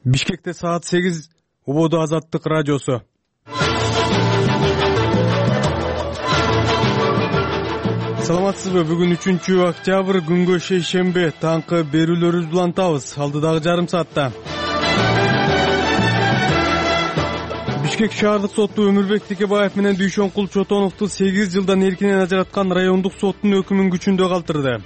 Бишкекте саат 8 Убоду Азаттык радиосу. Саламатсызбы? Бүгүн 3-октябрь күнгө шейшемби. Таңкы берүүлөрүбүздү улантабыз. Алдыдагы жарым саатта. Бишкек шаардык соту Өмүрбек Текебаев менен Дүйшөнкул Чотоновду 8 жылдан эркинен ажыраткан райондук соттун өкүмүн күчүндө калтырды.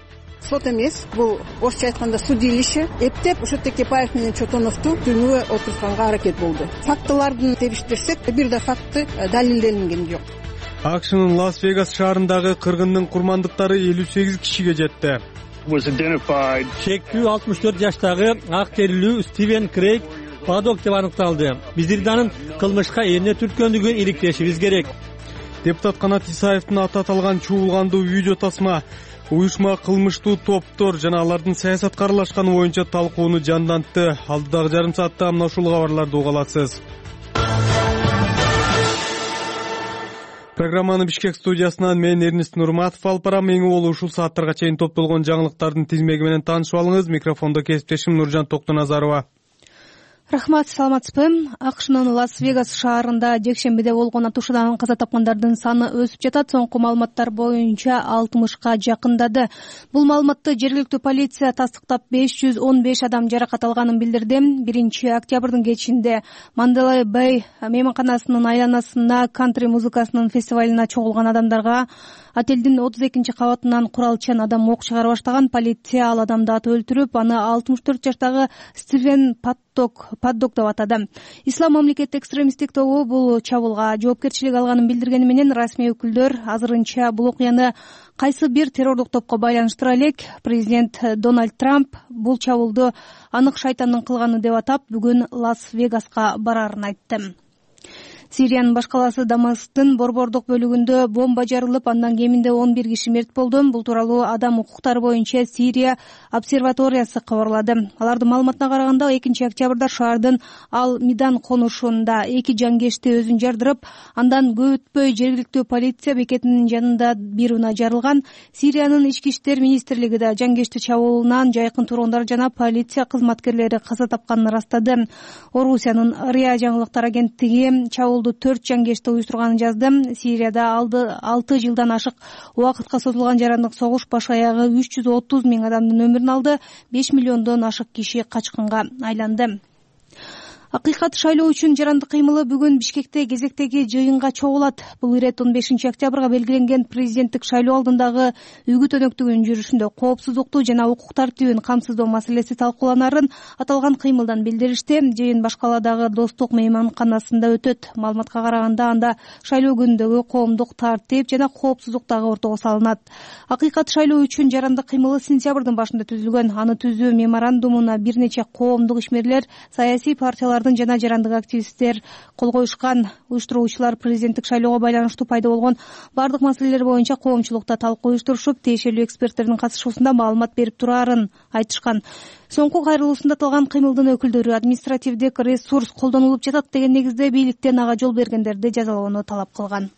Сот эмес, бул орусча айтканда судилище эптеп ошо Текебаев менен Чотоновду түрмөгө отурганга аракет болду. Фактылардын тебиштирсек, бир да факты далилденген жок. АКШнын Лас-Вегас шаарындагы кыргындын курмандыктары 58 кишиге жетти. Шектүү 64 жаштагы ак терилүү Стивен Крейг Падок деп аныкталды. Биздердин анын кылмышка эмне түрткөндүгүн иликтешибиз керек. Депутат Канат Исаевдин аты аталган чуулгандуу видео тасма уюшма кылмыштуу топтор жана алардын саясатка аралашканы боюнча талкууну жандантты. Алдыдагы жарым саатта мына ушул кабарларды уга аласыз. Программаны Бишкек студиясынан мен Эрнест Нурматов алып барам. Эң болуу ушул сааттарга чейин топтолгон жаңылыктардын тизмеги менен таанышып алыңыз. Микрофондо кесиптешим Нуржан Токтоназарова. Рахмат, саламатсызбы? АКШнын Лас-Вегас шаарында жекшембиде болгон атышуудан каза тапкандардын саны өсүп жатат. Соңку маалыматтар боюнча 60га жакындады. Бул маалыматты жергиликтүү полиция тастыктап 515 адам жаракат алганын билдирди. 1-октябрдын кечинде Mandalay Bay мейманканасынын айланасына кантри музыкасынын фестивалына чогулган адамдарга отелдин 32 кабатынан куралчан адам ок чыгара баштаган. Полиция ал адамды атып өлтүрүп, аны 64 жаштагы Стивен Паддок деп атады. Ислам мамлекети экстремисттик тобу бул чабуулга жоопкерчилик алганын билдиргени менен расмий өкүлдөр азырынча бул окуяны кайсы бир террорлук топко байланыштыра элек. Президент Дональд Трамп бул чабуулду анык шайтандын кылганы деп атап, бүгүн Лас-Вегаска барарын айтты. Сириянын баш калаасы Дамасктын борбордук бөлүгүндө бомба жарылып, андан кеминде 11 киши мерт болду. Бул тууралуу адам укуктары боюнча Сирия обсерваториясы кабарлады. Алардын маалыматына караганда 2-октябрда шаардын Ал-Мидан конушунда 2 жангечти өзүн жардырып, андан көп өтпөй жергиликтүү полиция бекетинин жанында бир унаа жарылган. Сириянын ички иштер министрлиги да жангечти чабуулунан жайкын тургундар жана полиция кызматкерлери каза тапканын ырастады. Орусиянын РИА жаңылыктар агенттиги 4 жангечти уюштурганын жазды. Сирияда 6 жылдан ашык убакытка созулган жарандык согуш баш аягы 330 000 адамдын өмүрүн алды. 5 миллиондон ашык киши качкынга айланды. Акыйкат шайлоо үчүн жарандык кыймылы бүгүн Бишкекте кезектеги жыйынга чогулат. Бул ирет 15-октябрга белгиленген президенттик шайлоо алдындагы үгүт өнөктүгүнүн жүрүшүндө коопсуздукту жана укук тартибин камсыздоо маселеси талкууланарын аталган кыймылдан билдиришти. Жыйын баш каладагы Достук мейманканасында өтөт. Маалыматка караганда анда шайлоо күнүндөгү коомдук тартип жана коопсуздук дагы ортого салынат. Акыйкат шайлоо үчүн жарандык кыймылы сентябрдын башында түзүлгөн. Аны түзүү меморандумуна бир нече коомдук ишмерлер, саясий партиялар жана жарандык активисттер кол коюшкан. Уюштуруучулар президенттик шайлоого байланыштуу пайда болгон бардык маселелер боюнча коомчулукта талкуу уюштурушуп, тиешелүү эксперттердин катышуусунда маалымат берип турарын айтышкан. Соңку кайрылуусунда аталган кыймылдын өкүлдөрү административдик ресурс колдонулуп жатат деген негизде бийликтен ага жол бергендерди жазалоону талап кылган.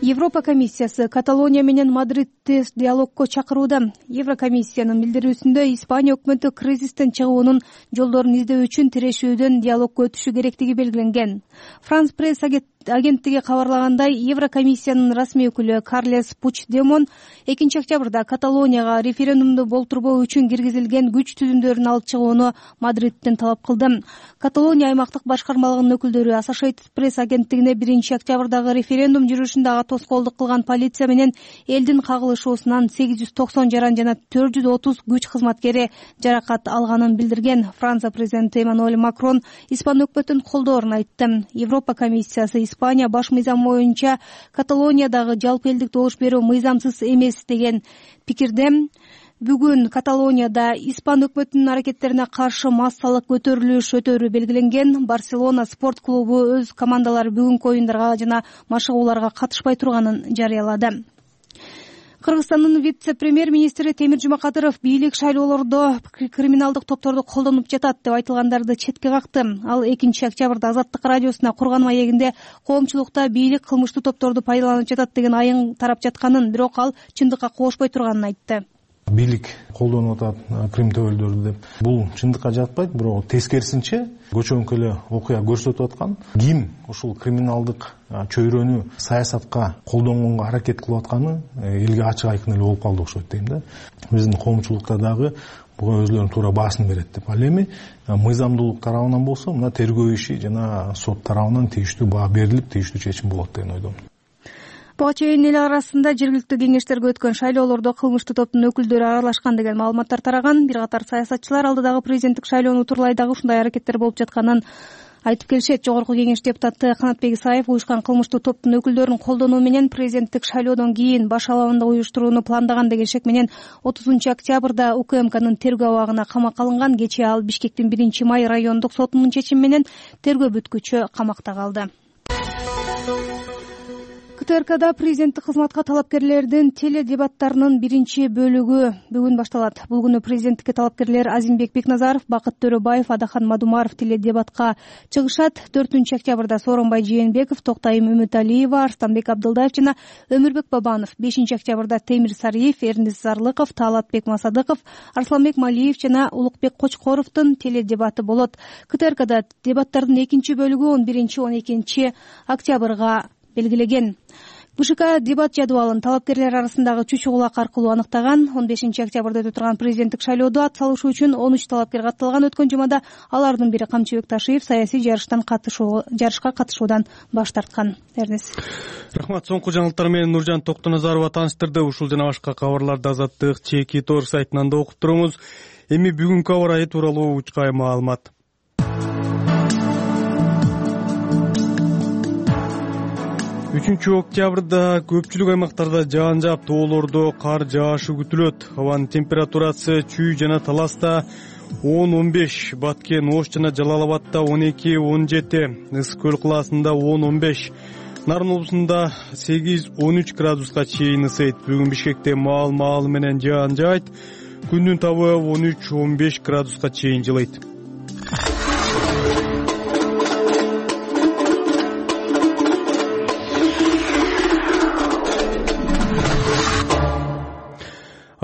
Европа комиссиясы Каталония менен Мадридти диалогко чакырууда. Еврокомиссиянын билдирүүсүндө Испания өкмөтү кризистен чыгуунун жолдорун издөө үчүн тирешүүдөн диалогко өтүшү керектиги белгиленген. Франс пресс агенттиги кабарлагандай, Еврокомиссиянын расмий өкүлү Карлес Пучдемон 2-октябрда Каталонияга референдумду болтурбоо үчүн киргизилген күч түзүмдөрүн алып чыгууну Мадридтен талап кылды. Каталония аймактык башкармалыгынын өкүлдөрү Associated Press агенттигине 1-октябрдагы референдум жүрүшүндө ага тоскоолдук кылган полиция менен элдин кагылышуусунан 890 жаран жана 430 күч кызматкери жаракат алганын билдирген. Франция президенти Эммануэль Макрон Испан өкмөтүн колдоорун айтты. Европа комиссиясы Испания баш мыйзам боюнча Каталониядагы жалпы элдик добуш берүү мыйзамсыз эмес деген пикирде. Бүгүн Каталонияда Испан өкмөтүнүн аракеттерине каршы массалык көтөрүлүш өтөрү белгиленген. Барселона спорт клубу өз командалары бүгүнкү оюндарга жана машыгууларга катышпай турганын жарыялады. Кыргызстандын вице-премьер-министри Темир Жумакадыров бийлик шайлоолордо криминалдык топторду колдонуп жатат деп айтылгандарды четке какты. Ал 2-октябрда Азаттык радиосуна курган маегинде коомчулукта бийлик кылмыштуу топторду пайдаланып жатат деген айың тарап жатканын, бирок ал чындыкка кошпой турганын айтты. бийлик колдонуп атат Крым төбөлдөрү деп. Бул чындыкка жатпайт, бирок тескерисинче көчөңкү эле окуя көрсөтүп аткан. Ким ушул криминалдык чөйрөнү саясатка колдонгонго аракет кылып атканы элге ачык айкын эле болуп калды окшойт дейм да. Биздин коомчулукта дагы буга өзлөрүнүн туура баасын берет деп. Ал эми мыйзамдуулук тарабынан болсо, мына тергөө иши жана сот тарабынан тийиштүү баа берилип, тийиштүү чечим болот деген ойдомун. Буга чейин эл арасында жергиликтүү кеңештерге өткөн шайлоолордо кылмыштуу топтун өкүлдөрү аралашкан деген маалыматтар тараган. Бир катар саясатчылар алдыдагы президенттик шайлоону утурлай дагы ушундай аракеттер болуп жатканын айтып келишет. Жогорку кеңеш депутаты Канатбек Исаев уюшкан кылмыштуу топтун өкүлдөрүн колдонуу менен президенттик шайлоодон кийин баш алабында уюштурууну пландаган деген шек менен 30 октябрда УКМКнын тергөө абагына камакка алынган. Кечээ ал Бишкектин 1-май райондук сотунун чечими менен тергөө бүткүчө камакта калды. КТРКда президенттик кызматка талапкерлердин теледебаттарынын биринчи бөлүгү бүгүн башталат. Бул күнү президенттикке талапкерлер Азимбек Бекназаров, Бакыт Төрөбаев, Адахан Мадумаров теледебатка чыгышат. 4-октябрда Сооронбай Жээнбеков, Токтайым Үмүталиева, Арстанбек Абдылдаев жана Өмүрбек Бабанов, 5-октябрда Темир Сариев, Эрнис Зарлыков, Таалатбек Масадыков, Арсланбек Малиев жана Улукбек Кочкоровдун теледебаты болот. КТРКда дебаттардын экинчи бөлүгү 11-12 октябрга белгилеген. БШК дебат жадыбалын талапкерлер арасындагы чучугулак аркылуу аныктаган. 15-октябрда өтө турган президенттик шайлоодо ат салышуу үчүн 13 талапкер катталган. Өткөн жумада алардын бири Камчыбек Ташиев саясий жарышка катышуудан баш тарткан. Эрнис. Рахмат. Соңку жаңылыктар менен Нуржан Токтоназарова тааныштырды. Ушул жана башка кабарларды Азаттык чеки тор сайтынан да окуп туруңуз. Эми бүгүнкү аба ырайы тууралуу учкай маалымат. 3-октябрда көпчүлүк аймактарда жаан жаап, тоолордо кар жаашы күтүлөт. Абанын температурасы Чүй жана Таласта 10-15, Баткен, Ош жана Жалал-Абадта 12-17, Ысык көл кылаасында 10-15, Нарын облусунда 8-13 градуска чейин ысыйт. Бүгүн Бишкекте маал менен жаан жаайт. Күндүн табы 13-15 градуска чейин жылыйт.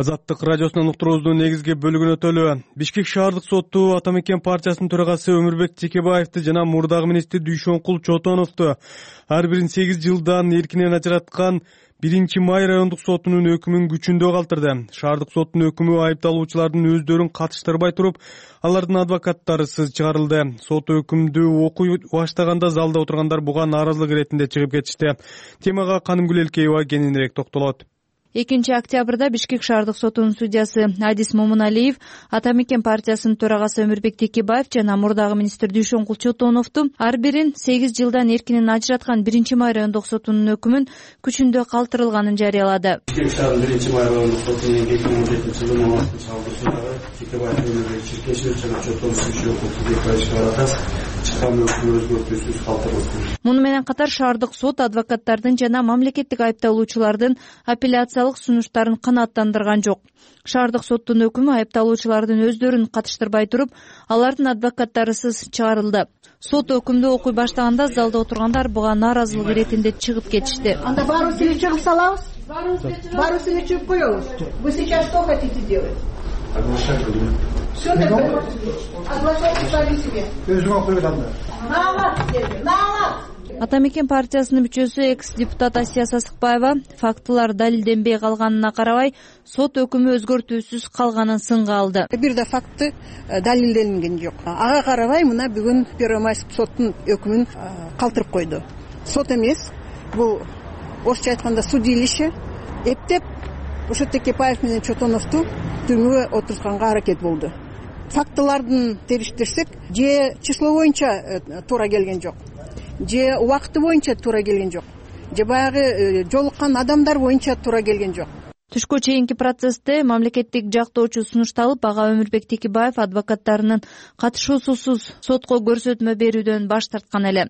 Азаттык радиосунан уктуруубуздун негизги бөлүгүнө өтөлү. Бишкек шаардык соту Ата Мекен партиясынын төрагасы Өмүрбек Текебаевди жана мурдагы министр Дүйшөнкул Чотоновду ар бирин 8 жылдан эркинен ажыраткан 1-май райондук сотунун өкүмүн күчүндө калтырды. Шаардык соттун өкүмү айыпталуучулардын өздөрүн катыштырбай туруп, алардын адвокаттарысыз чыгарылды. Сот өкүмдү окуй баштаганда залда отургандар буга нааразылык иретинде чыгып кетишти. Темага Канымгүл Элкеева кененирээк токтолот. 2-октябрда Бишкек шаардык сотунун судьясы Адис Момуналиев, Ата Мекен партиясынын төрагасы Өмүрбек Текебаев жана мурдагы министр Дүйшөнкул Чотоновду ар бирин 8 жылдан эркинен ажыраткан 1-май райондук сотунун өкүмүн күчүндө калтырылганын жарыялады. Бишкек шаарынын 1-май райондук сотунун 2017 жылы мамлекеттик салгысындагы Текебаев Өмүрбек Чиркешев жана Чотонов Дүйшөнкул чыккан өкүмү өзгөртүүсүз калтырылды. Муну менен катар шаардык сот адвокаттардын жана мамлекеттик айыпталуучулардын апелляциялык сунуштарын канааттандырган жок. Шаардык соттун өкүмү айыпталуучулардын өздөрүн катыштырбай туруп, алардын адвокаттарысыз чыгарылды. Сот өкүмдү окуй баштаганда залда отургандар буга нааразылык иретинде чыгып кетишти. Анда баарыбызды чыгып салабыз? Баарыбызды чыгып коебуз. Вы сейчас что хотите делать? Оглашать будем. Все такое. Оглашайте сами себе. Өзүң окуйт анда. Наалат. Ата Мекен партиясынын мүчөсү экс-депутат Асия Сасыкбаева фактылар далилденбей калганына карабай, сот өкүмү өзгөртүүсүз калганын сынга алды. Бир да факты далилденген жок. Ага карабай мына бүгүн 1-май соттун өкүмүн калтырып койду. Сот эмес, бул орусча айтканда судилище эптеп ошо Текебаев менен Чотоновду түрмөгө отуртканга аракет болду. Фактылардын териштирсек, же число боюнча туура келген жок, же убакыты боюнча туура келген жок, же баягы жолуккан адамдар боюнча туура келген жок. Түшкө чейинки процессте мамлекеттик жактоочу сунушталып, ага Өмүрбек Текебаев адвокаттарынын катышуусусуз сотко көрсөтмө берүүдөн баш тарткан эле.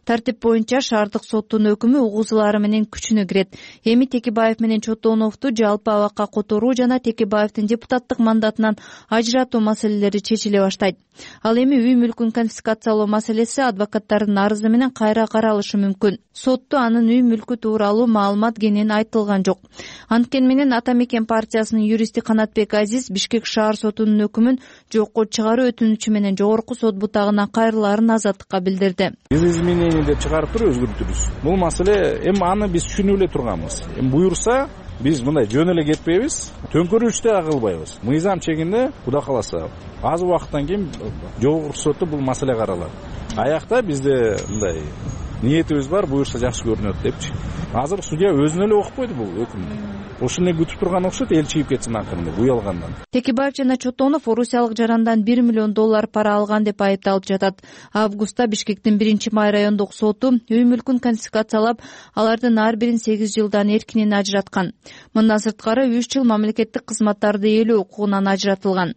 Тартип боюнча шаардык соттун өкүмү угузулары менен күчүнө кирет. Эми Текебаев менен Чотоновду жалпы абакка которуу жана Текебаевдин депутаттык мандатынан ажыратуу маселелери чечиле баштайт. Ал эми үй мүлкүн конфискациялоо маселеси адвокаттардын арызы менен кайра каралышы мүмкүн. Сотто анын үй мүлкү тууралуу маалымат кенен айтылган жок. Анткени менен менен Ата Мекен партиясынын юристи Канатбек Азиз Бишкек шаар сотунун өкүмүн жокко чыгаруу өтүнүчү менен жогорку сот бутагына кайрылаарын азаттыкка билдирди. Биз изменение деп чыгарып туруп өзгөртүбүз. Бул маселе эми аны биз түшүнүп эле турганбыз. Эми буюрса биз мындай жөн эле кетпейбиз, төңкөрүштү да кылбайбыз. Мыйзам чегинде Кудай кааласа аз убакыттан кийин жогорку сотто бул маселе каралат. Аякта бизде мындай ниетибиз бар, буюрса жакшы көрүнөт депчи. Азыр судья өзүнө эле окуп койду бул өкүмдү. Ошону күтүп турган окшойт, эл чыгып кетсин акырында уялгандан. Текебаев жана Чотонов орусиялык жарандан $1 миллион пара алган деп айыпталып жатат. Августта Бишкектин 1-май райондук соту үй мүлкүн конфискациялап, алардын ар бирин 8 жылдан эркинен ажыраткан. Мындан сырткары 3 жыл мамлекеттик кызматтарды ээлөө укугунан ажыратылган.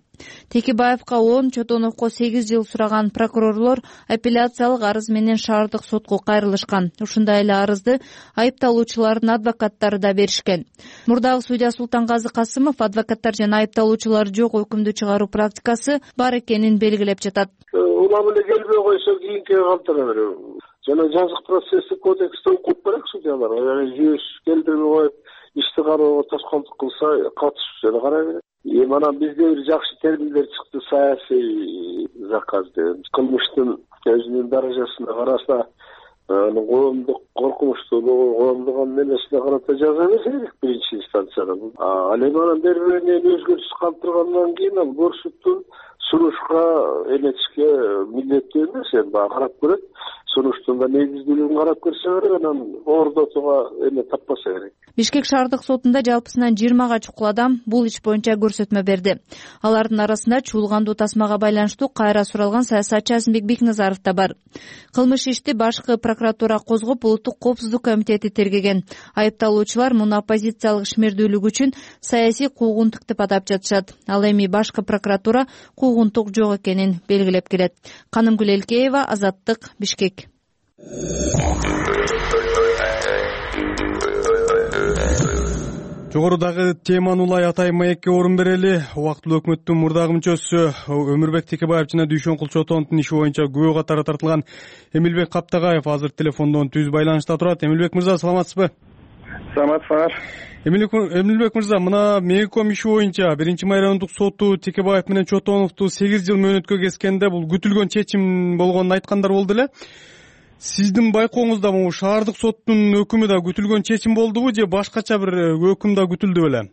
Текебаевка 10, Чотоновго 8 жыл сураган прокурорлор апелляциялык арыз менен шаардык сотко кайрылышкан. Ушундай эле арызды айыпталуучулардын адвокаттары да беришкен. Мурдагы судья Султангазы Касымов адвокаттар жана айыпталуучулар жок өкүмдү чыгаруу практикасы бар экенин белгилеп жатат. Улам эле келбей койсо кийинки калтыра берем. Жана жазык процесстик кодексте укук керек судьялар. Жүйөс келтирбей коюп, ишти кароого тоскоолдук кылса, катышып жана карай берет. Мана бизде бир жакшы терминдер чыкты, саясий заказ деген. Кылмыштын өзүнүн даражасына караса, коомдук коркунучтуулугу, коомдук эмесине карата жаза берсе керек биринчи инстанцияда. Ал эми анан берберенен өзгөртүш калтыргандан кийин ал көрсөттү сунушка эметишке милдеттүү эмес, эми карап көрөт. Сунуштун да негиздүүлүгүн карап көрсө керек, анан ордотууга эме таппаса керек. Бишкек шаардык сотунда жалпысынан 20 чукул адам бул иш боюнча көрсөтмө берди. Алардын арасында чуулгандуу тасмага байланыштуу кайра суралган саясатчы Азимбек Бекназаров да бар. Кылмыш ишти башкы прокуратура козгоп, улуттук коопсуздук комитети тергеген. Айыпталуучулар муну оппозициялык ишмердүүлүк үчүн саясий куугунтук деп атап жатышат. Ал эми башкы прокуратура куугунтук жок экенин белгилеп келет. Канымгүл Элкеева, Азаттык, Бишкек. Жогорудагы теманы улай атай маекке орун берели. Убактылуу өкмөттүн мурдагы мүчөсү Өмүрбек Текебаев жана Дүйшөнкул Чотоновдун иши боюнча күбө катары тартылган Эмилбек Каптагаев азыр телефондон түз байланышта турат. Эмилбек мырза, саламатсызбы? Саламатсыздар. Эмилбек мырза, мына Мейком иши боюнча 1-май райондук соту Текебаев менен Чотоновду 8 жыл мөөнөткө кескенде бул күтүлгөн чечим болгонун айткандар болду эле. Сиздин байкооңузда бул шаардык соттун өкүмү да күтүлгөн чечим болдубу же башкача бир өкүм да күтүлдү беле?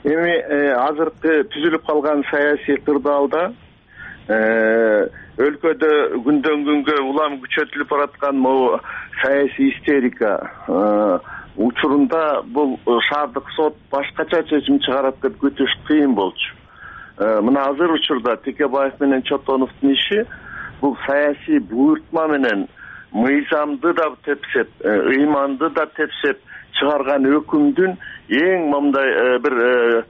Эми азыркы түзүлүп калган саясий кырдаалда өлкөдө күндөн күнгө улам күчөтүлүп бараткан могу саясий истерика учурунда бул шаардык сот башкача чечим чыгарат деп күтүш кыйын болчу. Мына азыр учурда Текебаев менен Чотоновдун иши бул саясий буйртма менен мыйзамды да тепсеп, ыйманды да тепсеп чыгарган өкүмдүн эң мындай бир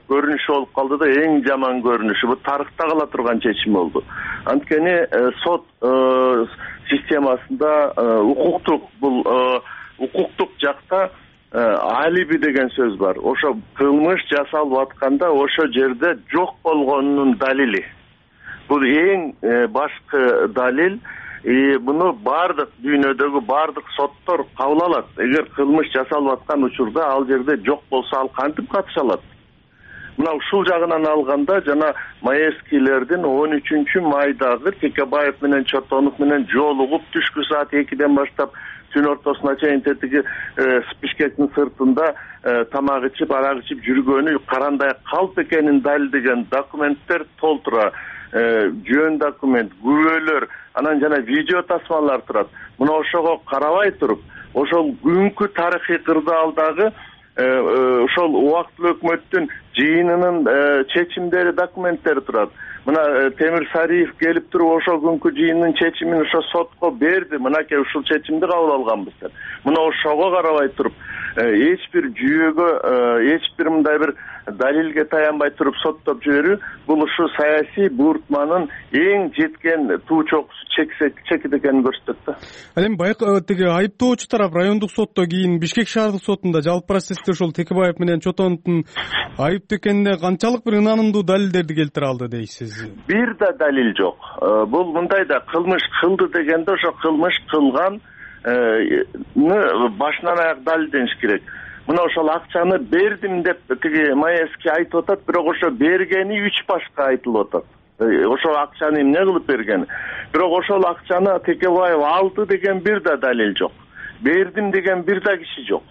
көрүнүшү болуп калды да, эң жаман көрүнүшү. Бул тарыхта кала турган чечим болду. Анткени сот системасында укуктук жакта алиби деген сөз бар. Ошо кылмыш жасалып атканда ошо жерде жок болгонунун далили. Бул эң башкы далил. Буну бардык дүйнөдөгү бардык соттор кабыл алат. Эгер кылмыш жасалып аткан учурда ал жерде жок болсо, ал кантип катыша алат? Мына ушул жагынан алганда жана Маевскийлердин 13-майдагы Текебаев менен Чотонов менен жолугуп түшкү саат 2ден баштап түн ортосуна чейин тетиги Бишкектин сыртында тамак ичип, арак ичип жүргөнү карандай калп экенин далилдеген документтер толтура. Жөн документ, күбөлөр, анан жана видео тасмалар турат. Мына ошого карабай туруп, ошол күнкү тарыхый кырдаалдагы ошол убактылуу өкмөттүн жыйынынын чечимдери, документтери турат. Мына Темир Сариев келип туруп ошол күнкү жыйындын чечимин ошо сотко берди. Мынакей ушул чечимди кабыл алганбыз деп. Мына ошого карабай туруп, эч бир жүйөгө, эч бир мындай бир далилге таянбай туруп соттоп жиберүү, бул ушу саясий буйртманын эң жеткен туу чокусу чекит экенин көрсөтөт да. Ал эми тиги айыптоочу тарап райондук сотто кийин Бишкек шаардык сотунда жалпы процессте ошол Текебаев менен Чотоновдун айыптуу экенине канчалык бир ынанымдуу далилдерди келтире алды дейсиз? Бир да далил жок. Бул мындай да, кылмыш кылды дегенде ошо кылмыш кылган башынан аяк далилдениш керек. мына ошол акчаны бердим деп тиги Маевский айтып атат, бирок ошо бергени 3 башка айтылып атат. Ошол акчаны эмне кылып бергени. Бирок ошол акчаны Текебаев алды деген бир да далил жок. Бердим деген бир да киши жок.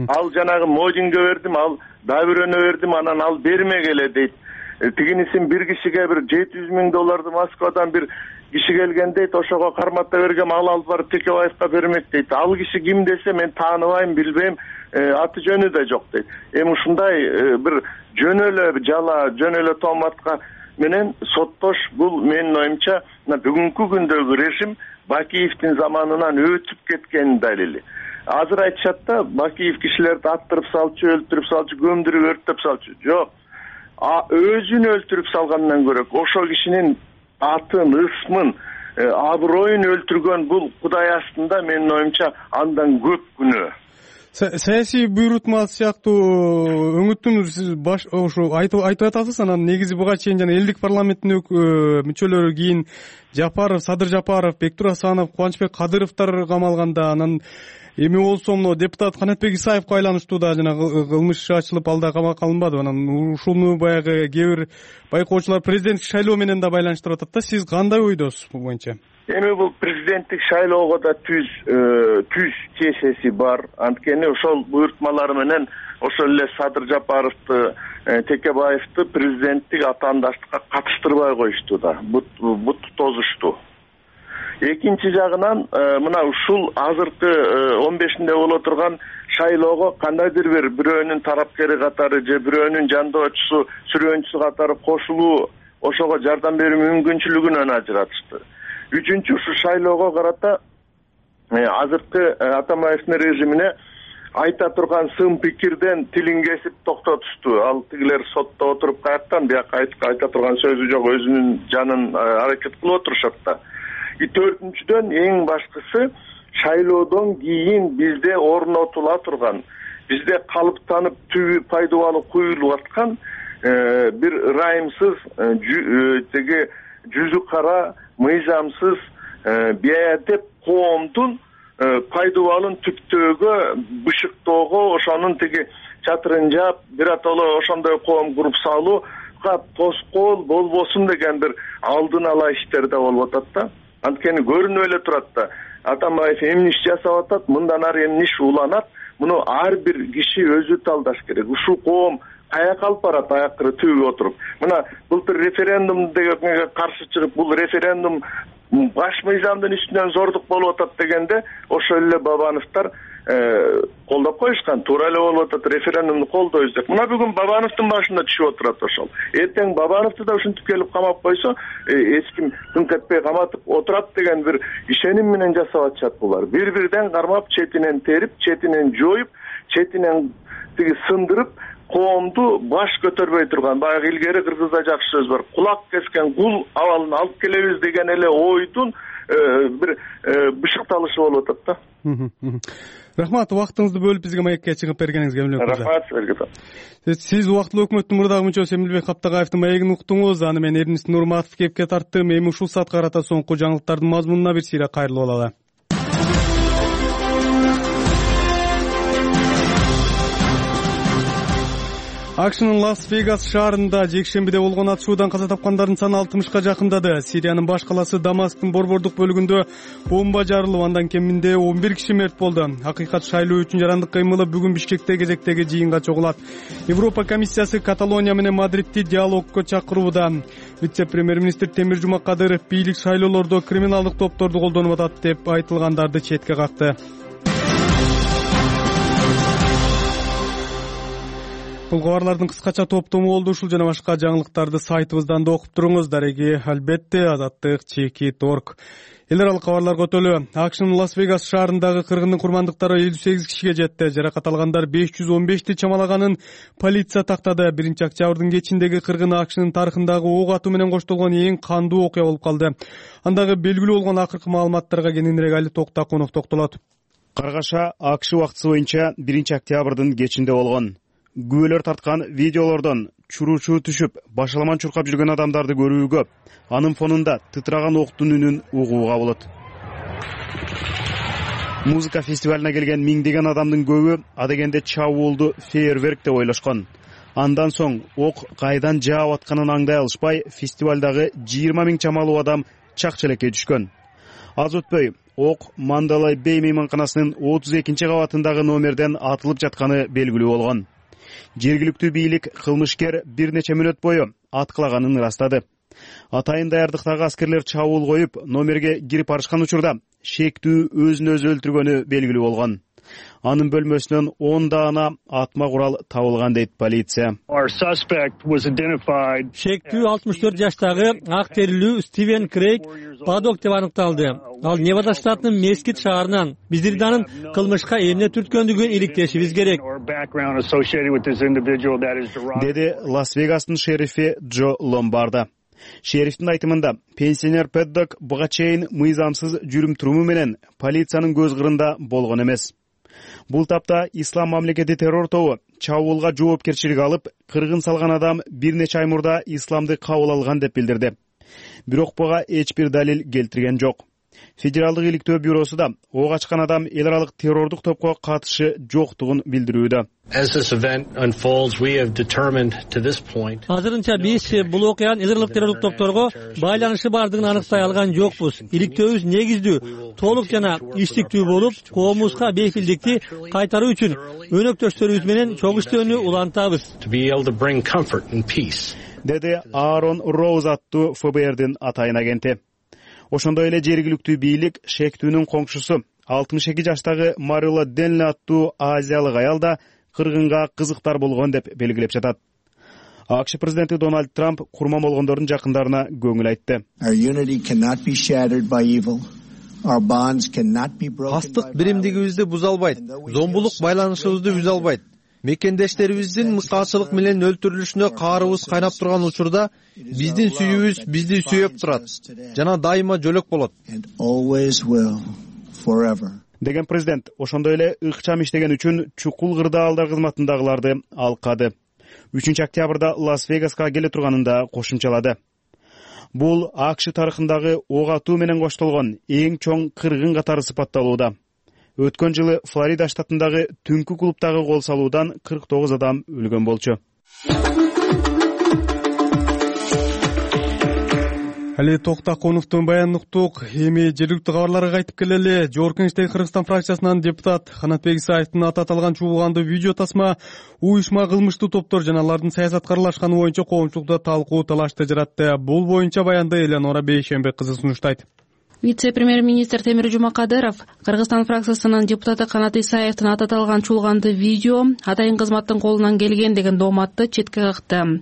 Ал жанагы Модинге бердим, ал дагы бирөөнө бердим, анан ал бермегеле дейт. Тигинисин бир кишиге бир $700,000 Москвадан бир киши келген дейт, ошого карматта бергем, ал алып барып Текебаевка бермек дейт. Ал киши ким десе мен тааныбайм, билбейм, аты жөнү да жок дейт. Эми ушундай бир жөн эле жала, жөн эле тооматка менен соттош бул менин оюмча бүгүнкү күндөгү режим Бакиевдин заманынан өтүп кеткенин далили. Азыр айтышат да, Бакиев кишилерди аттырып салчу, өлтүрүп салчу, көмдүрүп өрттөп салчу. Жок. Өзүн өлтүрүп салгандан көрө ошол кишинин атын, ысмын, аброюн өлтүргөн бул Кудай астында менин оюмча андан көп күнөө. Саясий буйрутма сыяктуу өңүттүн сиз ошо айтып атасыз, анан негизи буга чейин жана элдик парламенттин мүчөлөрү кийин Жапаров, Садыр Жапаров, Бектур Асанов, Кубанычбек Кадыровдор камалганда, анан эми болсо мына депутат Канатбек Исаевге айланыштуу да жана кылмыш ачылып ал да камакка алынбады. Анан ушуну баягы кээ бир байкоочулар президенттик шайлоо менен да байланыштырып атат да. Сиз кандай ойдосуз бул боюнча? Эми бул президенттик шайлоого да түз чечеси бар. Анткени ошол буйртмалар менен ошол эле Садыр Жапаровду, Текебаевди президенттик атаандаштыкка катыштырбай коюшту да. Бут тозушту. Экинчи жагынан мына ушул азыркы 15-нде боло турган шайлоого кандайдыр бирөөнүн тарапкери катары же бирөөнүн жандоочусу, сүрөөнчүсү катары кошулуу ошого жардам берүү мүмкүнчүлүгүнөн ажыратышты. Үчүнчү, ушу шайлоого карата азыркы Атамбаевдин режимине айта турган сын пикирден тилин кесип токтотушту. Ал тигилер сотто отуруп каяктан бияка айта турган сөзү жок, өзүнүн жанын аракет кылып отурушат да. Төртүнчүдөн эң башкысы, шайлоодон кийин бизде орнотула турган, бизде калыптанып түбү пайдубалы куюлуп аткан бир ырайымсыз теги жүзү кара, мыйзамсыз бейадеп коомдун пайдубалын түптөөгө, бышыктоого, ошонун тиги чатырын жаап, биротоло ошондой коом куруп салууга тоскоол болбосун деген бир алдын ала иштер да болуп атат да. Анткени көрүнүп эле турат да, Атамбаев эмне иш жасап атат, мындан ары эмне иш уланат, муну ар бир киши өзү талдаш керек. Ушул коом каяка алып барат аяктары түбү отуруп. Мына былтыр референдум дегенге каршы чыгып, бул референдум баш мыйзамдын үстүнөн зордук болуп атат дегенде, ошол эле Бабановдор колдоп коюшкан. Туура эле болуп атат, референдумду колдойбуз деп. Мына бүгүн Бабановдун башында түшүп отурат ошол. Эртең Бабановду да ушинтип келип камап койсо, эч ким күн кетпей каматып отурат деген бир ишеним менен жасап атышат булар. Бир-бирден кармап, четинен терип, четинен жоюп, четинен тиги сындырып, коомду баш көтөрбөй турган, баягы илгери кыргызда жакшы сөз бар. Кулак кескен кул абалын алып келебиз деген эле ойдун бир бышыкталышы болуп атат да. Рахмат, убактыңызды бөлүп бизге маекке чыгып бергениңизге. Рахмат сизге. Сиз убактылуу өкмөттүн мурдагы мүчөсү Эмилбек Каптагаевдин маегин уктуңуз. Аны мен Эрнис Нурматов кепке тарттым. Эми ушул саатка карата соңку жаңылыктардын мазмунуна бир сыйра кайрылып алалы. AQShnын Лас-Вегас шаарында жекшембиде болгон атышуудан каза тапкандардын саны 60ка жакындады. Сириянын баш каласы Дамасктын борбордук бөлүгүндө бомба жарылып, андан кеминде 11 киши мерт болду. Акыйкат шайлоо үчүн жарандык кыймылы бүгүн Бишкекте кезектеги жыйынга чогулат. Европа комиссиясы Каталония менен Мадридти диалогко чакырууда. Вице-премьер-министр Темир Жумакадыров бийлик шайлоолордо криминалдык топторду колдонуп атат деп айтылгандарды четке какты. Бул кабарлардын кыскача топтому болду. Ушул жана башка жаңылыктарды сайтыбыздан да окуп туруңуз. Дареги албетте azаттык.org. Эл аралык кабарларга өтөлү. AQShnын Лас-Вегас шаарындагы кыргындын курмандыктары 58 кишиге жетти. Жаракат алгандар 515ти чамалаганын полиция тактады. 1-октябрдын кечиндеги кыргын AQShnын тарыхындагы ок атуу менен коштолгон эң кандуу окуя болуп калды. Андагы белгилүү болгон акыркы маалыматтарга кененирээк Али Токтакунов токтолот. Каргаша AQSh убактысы боюнча 1-октябрдын кечинде болгон. Күбөлөр тарткан видеолордон чуруучу түшүп, башаламан чуркап жүргөн адамдарды көрүү көп. Анын фонунда тытраган октун үнүн угууга болот. Музыка фестивалына келген миңдеген адамдын көбү адегенде чабуулду фейерверк деп ойлошкон. Андан соң ок кайдан жаап атканын аңдай алышпай, фестивалдагы 20 000 чамалуу адам чак-челекке түшкөн. Аз өтпөй ок Мандалай Бей мейманканасынын 32 кабатындагы номерден атылып жатканы белгилүү болгон. Жергиликтүү бийлик кылмышкер бир нече мүнөт бою аткылаганын ырастады. Атайын даярдыктагы аскерлер чабуул коюп, номерге кирип барышкан учурда шектүү өзүн өзү өлтүргөнү белгилүү болгон. Анын бөлмөсүнөн 10 даана атма курал табылган дейт полиция. Шектүү 64 жаштагы ак терилүү Стивен Крейг Падок деп аныкталды. Ал Невада штатынын Мескит шаарынан. Биздерди анын кылмышка эмне түрткөндүгүн иликтешибиз керек, деди Лас-Вегастын шерифи Джо Ломбарда. Шерифтин айтымында, пенсионер Паддок буга чейин мыйзамсыз жүрүм-туруму менен полициянын көз кырында болгон эмес. Бул тапта Ислам мамлекети террор тобу чабуулга жоопкерчилик алып, кыргын салган адам бир нече ай мурда исламды кабыл алган деп билдирди. Бирок буга эч бир далил келтирген жок. Федералдык иликтөө бюросу да ок ачкан адам эл аралык террордук топко катышы жоктугун билдирүүдө. Азырынча биз бул окуянын эл аралык террордук топторго байланышы бардыгын аныктай алган жокпуз. Иликтөөбүз негиздүү, толук жана иштиктүү болуп, коомубузга бейпилдикти кайтаруу үчүн өнөктөштөрүбүз менен чоң иштөөнү улантабыз, деди Аарон Роуз аттуу ФБРдин атайын агенти. Ошондой эле жергиликтүү бийлик шектүүнүн коңшусу 62 жаштагы Марила Денли аттуу азиялык аял да кыргынга кызыктар болгон деп белгилеп жатат. АКШ президенти Дональд Трамп курман болгондордун жакындарына көңүл айтты. Кастык биримдигибизди буза албайт, зомбулук байланышыбызды үзө албайт. Мекендештерибиздин мыскалчылык менен өлтүрүлүшүнө каарыбыз кайнап турган учурда биздин сүйүүбүз бизди сүйөп турат жана дайыма жөлөк болот, деген президент ошондой эле ыкчам иштеген үчүн чукул кырдаалдар кызматындагыларды алкады. 3-октябрда Лас-Вегаска келе турганын да кошумчалады. Бул АКШ тарыхындагы ок атуу менен коштолгон эң чоң кыргын катары сыпатталууда. Өткөн жылы Флорида штатындагы түнкү клубтагы кол салуудан 49 адам өлгөн болчу. Али Токтаконовдун баянын уктук. Эми жергиликтүү кабарларга кайтып келели. Жогорку Кеңештеги Кыргызстан фракциясынан депутат Канатбек Исаевдин аты аталган чуулгандуу видео тасма уюшма кылмыштуу топтор жана алардын саясатка аралашканы боюнча коомчулукта талкуу талашты жаратты. Бул боюнча баянды Элеонора Бейшембек кызы сунуштайт. Вице-премьер-министр Темир Жумакадыров Кыргызстан фракциясынын депутаты Канат Исаевдин аты аталган чуулгандуу видео атайын кызматтын колунан келген деген дооматты четке какты.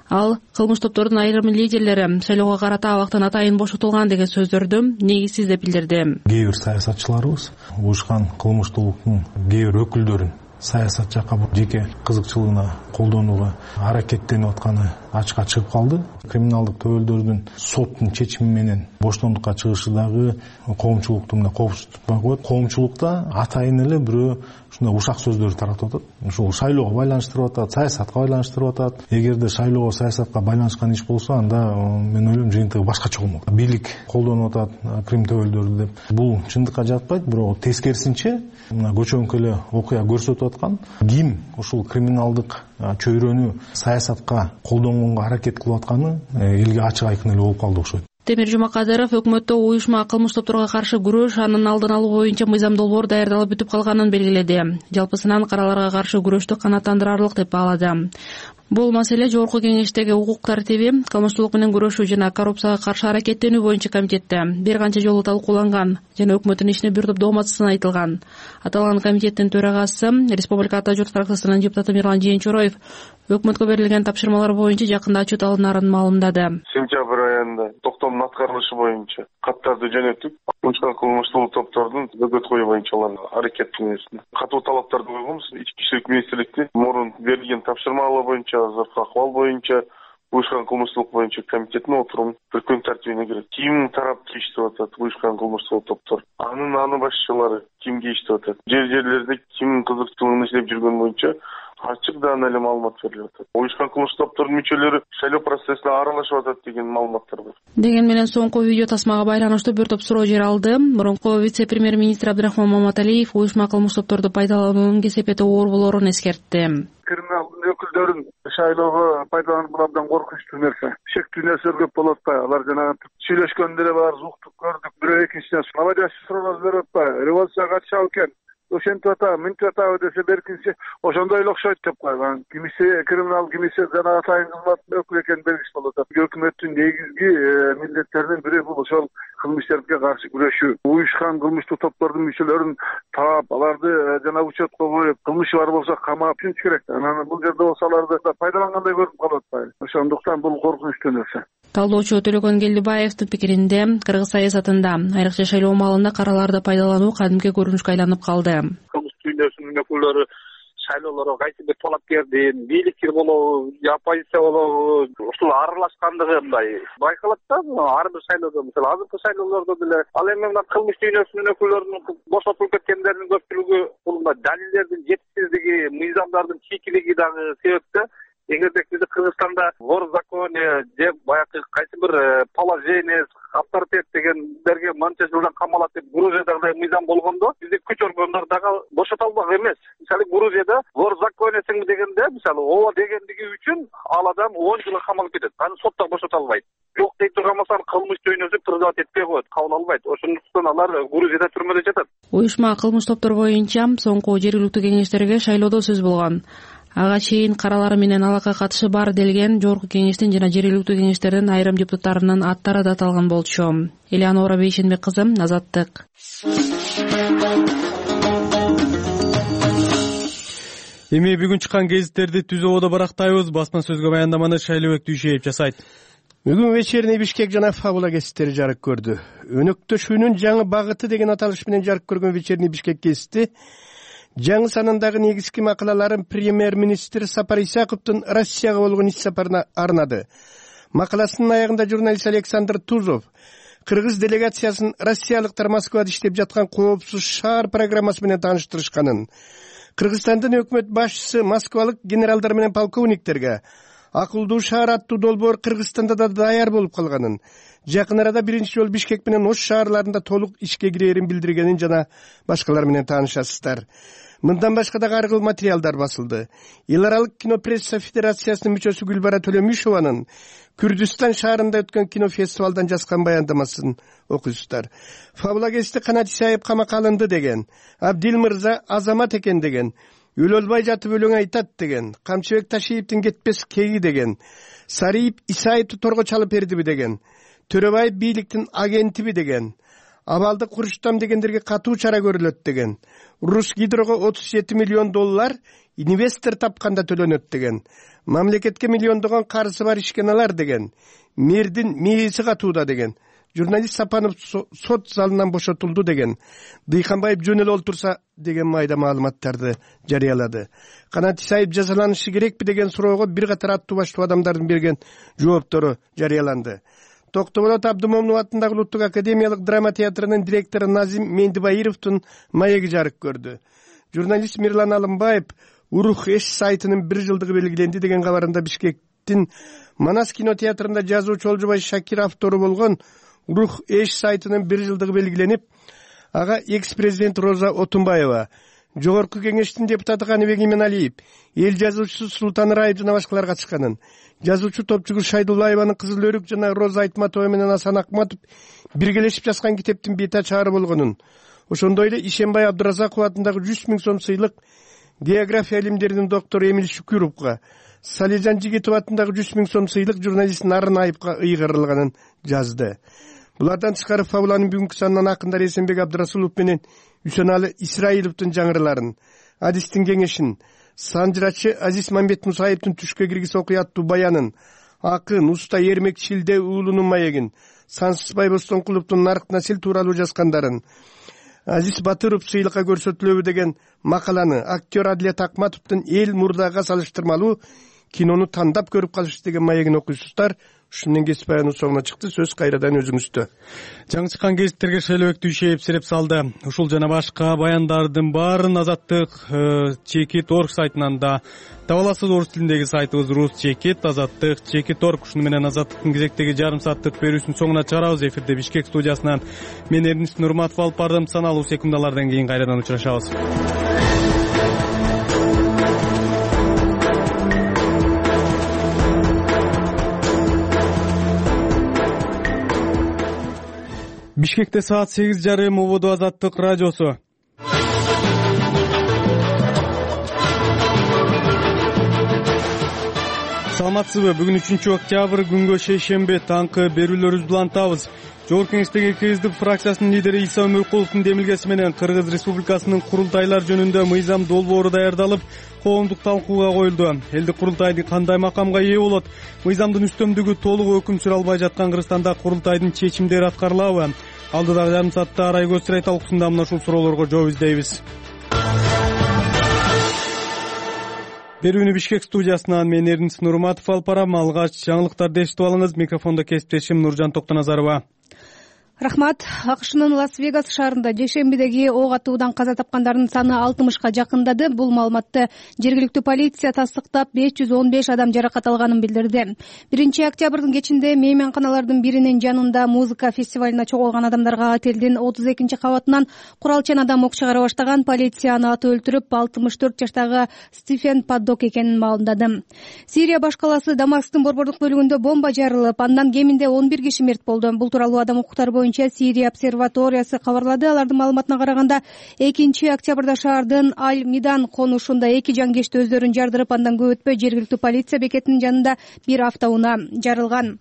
Ал кылмыш топтордун айрым лидерлери шайлоого карата абактан атайын бошотулган деген сөздөрдү негизсиз деп билдирди. Кээ бир саясатчыларыбыз уюшкан кылмыштуулуктун кээ бир өкүлдөрүн саясат жакка жеке кызыкчылыгына колдонууга аракеттенип атканы ачыкка чыгып калды. Криминалдык төбөлдөрдүн соттун чечими менен боштондукка чыгышы дагы коомчулукту мына коопсуздукпай коет. Коомчулукта атайын эле бирөө ушундай ушак сөздөрдү таратып атат. Ушул шайлоого байланыштырып атат, саясатка байланыштырып атат. Эгерде шайлоого, саясатка байланышкан иш болсо, анда мен ойлойм жыйынтыгы башкача болмок. Бийлик колдонуп атат крим төбөлдөрдү деп. Бул чындыкка жатпайт, бирок тескерисинче мына көчөңкү эле окуя көрсөтүп аткан ким ушул криминалдык чөйрөнү саясатка колдонгонго аракет кылып атканы элге ачык айкын эле болуп калды окшойт. Темир Жумакадыров өкмөттө уюшма кылмыш топторго каршы күрөш, анын алдын алуу боюнча мыйзам долбоор даярдалып бүтүп калганын белгиледи. Жалпысынан караларга каршы күрөштү канааттандырарлык деп баалады. Бул маселе Жогорку Кеңештеги укук тартиби, кылмыштуулук менен күрөшүү жана коррупцияга каршы аракеттенүү боюнча комитетте бир канча жолу талкууланган жана өкмөттүн ишине бир топ доомат айтылган. Аталган комитеттин төрагасы Республика Ата журт фракциясынын депутаты Мирлан Жээнчороев өкмөткө берилген тапшырмалар боюнча жакында отчет алынарын маалымдады. Сентябрь айында токтомдун аткарылышы боюнча каттарды жөнөтүп, уюшкан кылмыштуулук топтордун бөгөт коюу боюнча аракеттенүүсүн катуу талаптарды койгонбуз. Ички иштер министрликти мурун берилген тапшырмалар боюнча азыркы акыбал боюнча уюшкан кылмыштуулук боюнча комитеттин отуруму бир күн тартибине кирет. Ким тарапты иштеп атат уюшкан кылмыштуулук топтор? Анын башчылары кимге иштеп атат? Жерлерде ким кызыкчылыгын иштеп жүргөн боюнча ачык даана эле маалымат берилип атат. Уюшкан кылмыштык топтордун мүчөлөрү шайлоо процессине аралашып атат деген маалыматтар бар. Деген менен соңку видео тасмага байланыштуу бир топ суроо жер алды. Мурунку вице-премьер-министр Абдрахман Маматалиев уюшма кылмыштык топторду пайдалануунун кесепети оор болоорун эскертти. Криминалдын өкүлдөрүн шайлоого пайдалануу абдан коркунучтуу нерсе. Шектүү нерселер көп болуп атпайбы? Алар жанагы сүйлөшкөндөр бар, уктук көрдүк, бирөө экинчиден наводящий суроо берип атпайбы? Революцияга катышабы экен, ошентип атабы, мынтип атабы десе беркинчи ошондой эле окшойт деп койгон. Кимиси криминал, кимиси жанагы атайын кызматтын өкүлү экени белгисиз болуп атат. Өкмөттүн негизги милдеттеринин бири бул ошол кылмыш иштерге каршы күрөшүү. Уюшкан кылмыштык топтордун мүчөлөрүн таап, аларды жана учетко коюп, кылмышы бар болсо камап түшүнүш керек. Анан бул жерде болсо аларды пайдалангандай көрүнүп калып атпайбы? Ошондуктан бул коркунучтуу нерсе. Талдоочу Төлөгөн Келдибаевдин пикиринде, кыргыз саясатында айрыкча шайлоо маалында караларды пайдалануу кадимки көрүнүшкө айланып калды. Кылмыш дүйнөсүнүн өкүлдөрү шайлоолорго кайсы бир талапкердин бийликчил болобу, оппозиция болобу, ушул аралашкандыгы мындай байкалат да. Ар бир шайлоодо, мисалы азыркы шайлоолордо деле ал эми мына кылмыш дүйнөсүнүн өкүлдөрүнүн бошотулуп кеткендеринин көпчүлүгү бул далилдердин жетишсиздиги, мыйзамдардын чийкилиги дагы себеп да. Эгерде бизде Кыргызстанда вор в законе деп баягы кайсы бир положение, авторитет дегендерге манча жылдан камалат деп Грузиядагы мыйзам болгондо бизде күч органдары дагы бошото албак эмес. Мисалы Грузияда вор в законесиң дегенде, мисалы ооба дегендиги үчүн ал адам 10 жылга камалып кетет. Аны сотто бошото албайт. Жок дей турган болсо кылмыш дүйнөсү призывать этпей коет, кабыл албайт. Ошондуктан алар Грузияда түрмөдө жатат. Уюшма кылмыш топтор боюнча соңку жергиликтүү кеңештерге шайлоодо сөз болгон. Ага чейин каралары менен алакка катышы бар делген жогорку кеңештин жана жергиликтүү кеңештердин айрым депутаттарынын аттары да аталган болчу. Элеонора Бейшенбек кызы, Азаттык. Эми бүгүн чыккан гезиттерди түзүүбөдө барактайбыз. Басма сөзгө баяндаманы Шайлообек Дүйшеев жасайт. Бүгүн вечерний Бишкек жана Фабула гезиттери жарык көрдү. Өнөктөшүүнүн жаңы багыты деген аталыш менен жарык көргөн вечерний Бишкек гезити жаңы санындагы негизги макалаларын премьер-министр Сапар Исаковдун Россияга болгон иш сапарына арнады. Макаласынын аягында журналист Александр Тузов кыргыз делегациясын россиялыктар Москвада иштеп жаткан коопсуз шаар программасы менен тааныштырышканын, Кыргызстандын өкмөт башчысы москвалык генералдар менен полковниктерге акылдуу шаар аттуу долбоор Кыргызстанда да даяр болуп калганын, жакын арада биринчи жолу Бишкек менен Ош шаарларында толук ишке кирерин билдиргенин жана башкалар менен таанышасыздар. Мындан башка дагы ар кыл материалдар басылды. Эл аралык кинопресса федерациясынын мүчөсү Гүлбара Төлөмүшованын Күрдүстан шаарында өткөн кинофестивалдан жазган баяндамасын окуйсуздар. Фабула гезити Канат Исаев камакка алынды деген, Абдил Мырза азамат экен деген, өлөлбай жатып өлөң айтат деген, Камчыбек Ташиевдин кетпес кеги деген, Сариев Исаевди торго чалып бердиби деген, Төрөбаев бийликтин агентиби деген, Абалдык Курчтам дегендерге катуу чара көрүлөт деген, Русгидрого $37 миллион инвестор тапканда төлөнөт деген, мамлекетке миллиондогон карызы бар ишканалар деген, мэрдин мээси катууда деген, журналист Сапанов сот залынан бошотулду деген, Дыйканбаев жөн эле олтурса деген майда маалыматтарды жарыялады. Канат Исаев жазаланышы керекпи деген суроого бир катар аттуу баштуу адамдардын берген жооптору жарыяланды. Токтоболот Абдымомунов атындагы Улуттук академиялык драма театрынын директору Назим Мендибаировдун маеги жарык көрдү. Журналист Мирлан Алымбаев Урух Эш сайтынын 1 жылдыгы белгиленди деген кабарында Бишкектин Манас кинотеатрында жазуучу Олжобай Шакир автору болгон Урух Эш сайтынын 1 жылдыгы белгиленип, ага экс-президент Роза Отунбаева, жогорку кеңештин депутаты Каныбек Именалиев, эл жазуучусу Султан Раев жана башкалар катышканын, жазуучу Топчугул Шайдуллаеванын Кызыл өрүк жана Роза Айтматова менен Асан Акматов биргелешип жазган китептин бета чаары болгонун, ошондой эле Ишенбай Абдуразаков атындагы 100 000 сом сыйлык география илимдеринин доктору Эмиль Шүкүровго, Салижан Жигитов атындагы 100 000 сом сыйлык журналист Нарынаевга ыйгарылганын жазды. Булардан тышкары Фабуланын бүгүнкү санынан акындар Эсенбек Абдырасулов менен Үсөналы Исраиловдун жаңырыларын, Адистин кеңешин, санжырачы Азиз Мамбет Мусаевдин түшкө киргиз окуя аттуу баянын, акын, уста Эрмек Шилде уулунун маегин, Сансызбай Бостонкуловдун Нарк Насил тууралуу жазгандарын, Азиз Батыров сыйлыкка көрсөтүлөбү деген макаланы, актер Адлет Акматовдун Эл мурдага салыштырмалуу кинону тандап көрүп калыш деген маегин окуйсуздар. ушун менен кесип аянуу соңуна чыкты. Сөз кайрадан өзүңүздө. Жаңы чыккан гезиттерге шайлообектүү ишеп сереп салды. Ушул жана башка баяндардын баарын Азаттык Чекит.орг сайтынан да таба аласыз. Орус тилиндеги сайтыбыз Рус Чекит, Азаттык Чекит.орг. Ушуну менен Азаттыктын кезектеги жарым сааттык берүүсүнүн соңуна чыгарабыз. Эфирде Бишкек студиясынан мен Эрнис Нурматов алып бардым. Саналуу секундалардан кийин кайрадан учурашабыз. Бишкекте саат 8:30 убуду Азаттык радиосу. Саламатсызбы? Бүгүн 3-октябрь күнгө шейшемби таңкы берүүлөрүбүздү улантабыз. Жогорку Кеңештеги КСДП фракциясынын лидери Иса Өмүркуловдун демилгеси менен Кыргыз Республикасынын курултайлар жөнүндө мыйзам долбоору даярдалып, коомдук талкууга коюлду. Элдик курултай кандай макамга ээ болот? Мыйзамдын үстөмдүгү толук өкүм сүрө албай жаткан Кыргызстанда курултайдын чечимдери аткарылабы? Алдыдагы жарым саатта Арайгөз Чырай талкуусунда мына ушул суроолорго жооп издейбиз. Берүүнү Бишкек студиясынан мен Эрнис Нурматов алып барам. Алгач жаңылыктарды эшитип алыңыз. Микрофондо кесиптешим Нуржан Токтоназарова. Рахмат. АКШнын Лас-Вегас шаарында жекшембидеги ок атуудан каза тапкандардын саны 60-ка жакындады. Бул маалыматты жергиликтүү полиция тастыктап 515 адам жаракат алганын билдирди. 1-октябрдын кечинде мейманканалардын биринин жанында музыка фестивалына чогулган адамдарга отелдин 32-кабатынан куралчан адам ок чыгара баштаган. Полиция аны атып өлтүрүп, 64 жаштагы Стефен Паддок экенин маалымдады. Сирия баш калаасы Дамасктын борбордук бөлүгүндө бомба жарылып, андан кеминде 11 киши мерт болду. Бул тууралуу адам укуктары Сирия обсерваториясы кабарлады. Алардын маалыматына караганда 2-октябрда шаардын Аль-Мидан конушунда 2 жангечти өздөрүн жардырып, андан көп өтпөй жергиликтүү полиция бекетинин жанында бир автоунаа жарылган.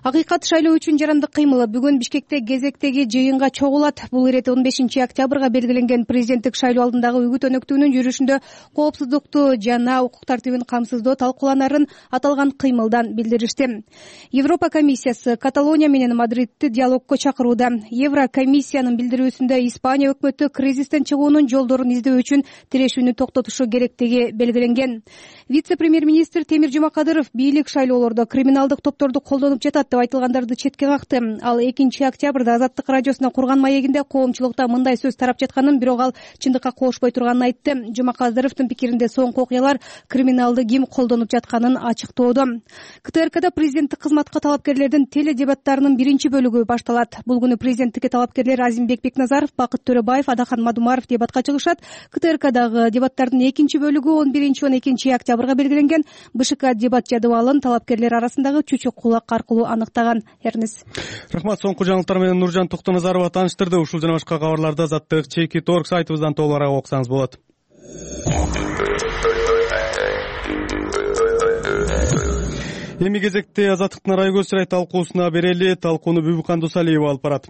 Акыйкат шайлоо үчүн жарандык кыймылы бүгүн Бишкекте кезектеги жыйынга чогулат. Бул ирет 15-октябрга белгиленген президенттик шайлоо алдындагы үгүт өнөктүүнүн жүрүшүндө коопсуздукту жана укук тартибин камсыздоо талкууланарын аталган кыймылдан билдиришти. Европа комиссиясы Каталония менен Мадридти диалогко чакырууда. Еврокомиссиянын билдирүүсүндө Испания өкмөтү кризистен чыгуунун жолдорун издөө үчүн тирешүүнү токтотушу керектиги белгиленген. Вице-премьер-министр Темир Жумакадыров бийлик шайлоолордо криминалдык топторду колдонуп жатат деп айтылгандарды четке какты. Ал 2-октябрда Азаттык радиосуна курган маегинде коомчулукта мындай сөз тарап жатканын, бирок ал чындыкка кошпой турганын айтты. Жумакадыровдун пикиринде соңку окуялар криминалды ким колдонуп жатканын ачыктоодо. КТРКда президенттик кызматка талапкерлердин теледебаттарынын биринчи бөлүгү башталат. Бул күнү президенттикке талапкерлер Азимбек Бекназаров, Бакыт Төрөбаев, Адахан Мадумаров дебатка чыгышат. КТРКдагы дебаттардын экинчи бөлүгү 11-12 белгиленген. БШК дебат жадыбалын талапкерлер арасындагы чүчүк кулак аркылуу аныктаган. Эрнис. Рахмат. Соңку жаңылыктар менен Нуржан Токтоназарова тааныштырды. Ушул жана башка кабарларды Азаттык Чекит.орг сайтыбыздан толугураак окусаңыз болот. Эми кезекте Азаттыктын Арайгөз Чырай талкуусуна берели. Талкууну Бүбүкан Дусалиева алып барат.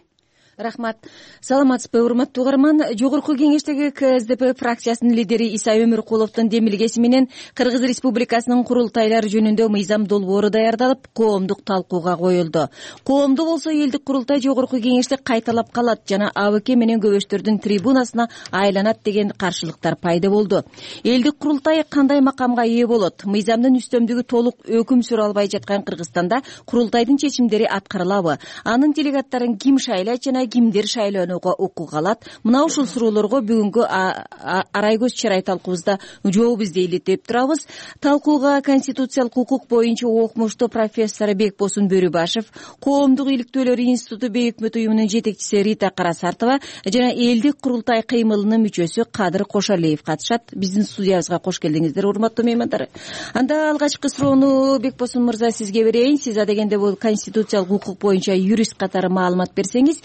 Рахмат. Саламатсызбы, урматтуу угарман. Жогорку Кеңештеги КСДП фракциясынын лидери Иса Өмүркуловдун демилгеси менен Кыргыз Республикасынын курултайлар жөнүндө мыйзам долбоору даярдалып, коомдук талкууга коюлду. Коомдуу болсо элдик курултай Жогорку Кеңеште кайталап калат жана АБК менен көбөштөрдүн трибунасына айланат деген каршылыктар пайда болду. Элдик курултай кандай макамга ээ болот? Мыйзамдын үстөмдүгү толук өкүм сүрө албай жаткан Кыргызстанда курултайдын чечимдери аткарылабы? Анын делегаттарын ким шайлайт жана кимдер шайлоонууга укук алат? Мына ушул суроолорго бүгүнкү Арайгөз Чырай талкуубузда жооп издейли деп турабыз. Талкууга конституциялык укук боюнча окумуштуу профессор Бекбосун Бөрүбашев, Коомдук иликтөөлөр институту бейөкмөт уюмунун жетекчиси Рита Карасартова жана элдик курултай кыймылынын мүчөсү Кадыр Кошалиев катышат. Биздин студиябызга кош келдиңиздер, урматтуу меймандар. Анда алгачкы суроону Бекбосун мырза сизге берейин. Сиз адегенде бул конституциялык укук боюнча юрист катары маалымат берсеңиз,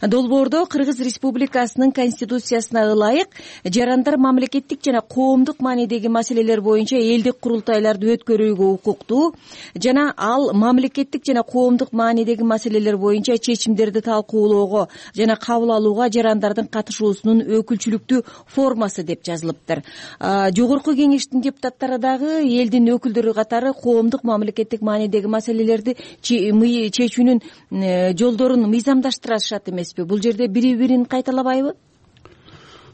долбоордо Кыргыз Республикасынын конституциясына ылайык жарандар мамлекеттик жана коомдук маанидеги маселелер боюнча элдик курултайларды өткөрүүгө укуктуу жана ал мамлекеттик жана коомдук маанидеги маселелер боюнча чечимдерди талкуулоого жана кабыл алууга жарандардын катышуусунун өкүлчүлүктүү формасы деп жазылыптыр. Жогорку Кеңештин депутаттары дагы элдин өкүлдөрү катары коомдук мамлекеттик маанидеги маселелерди чечүүнүн жолдорун мыйзамдаштырышат эмеспи? Бул жерде бири-бирин кайталабайбы?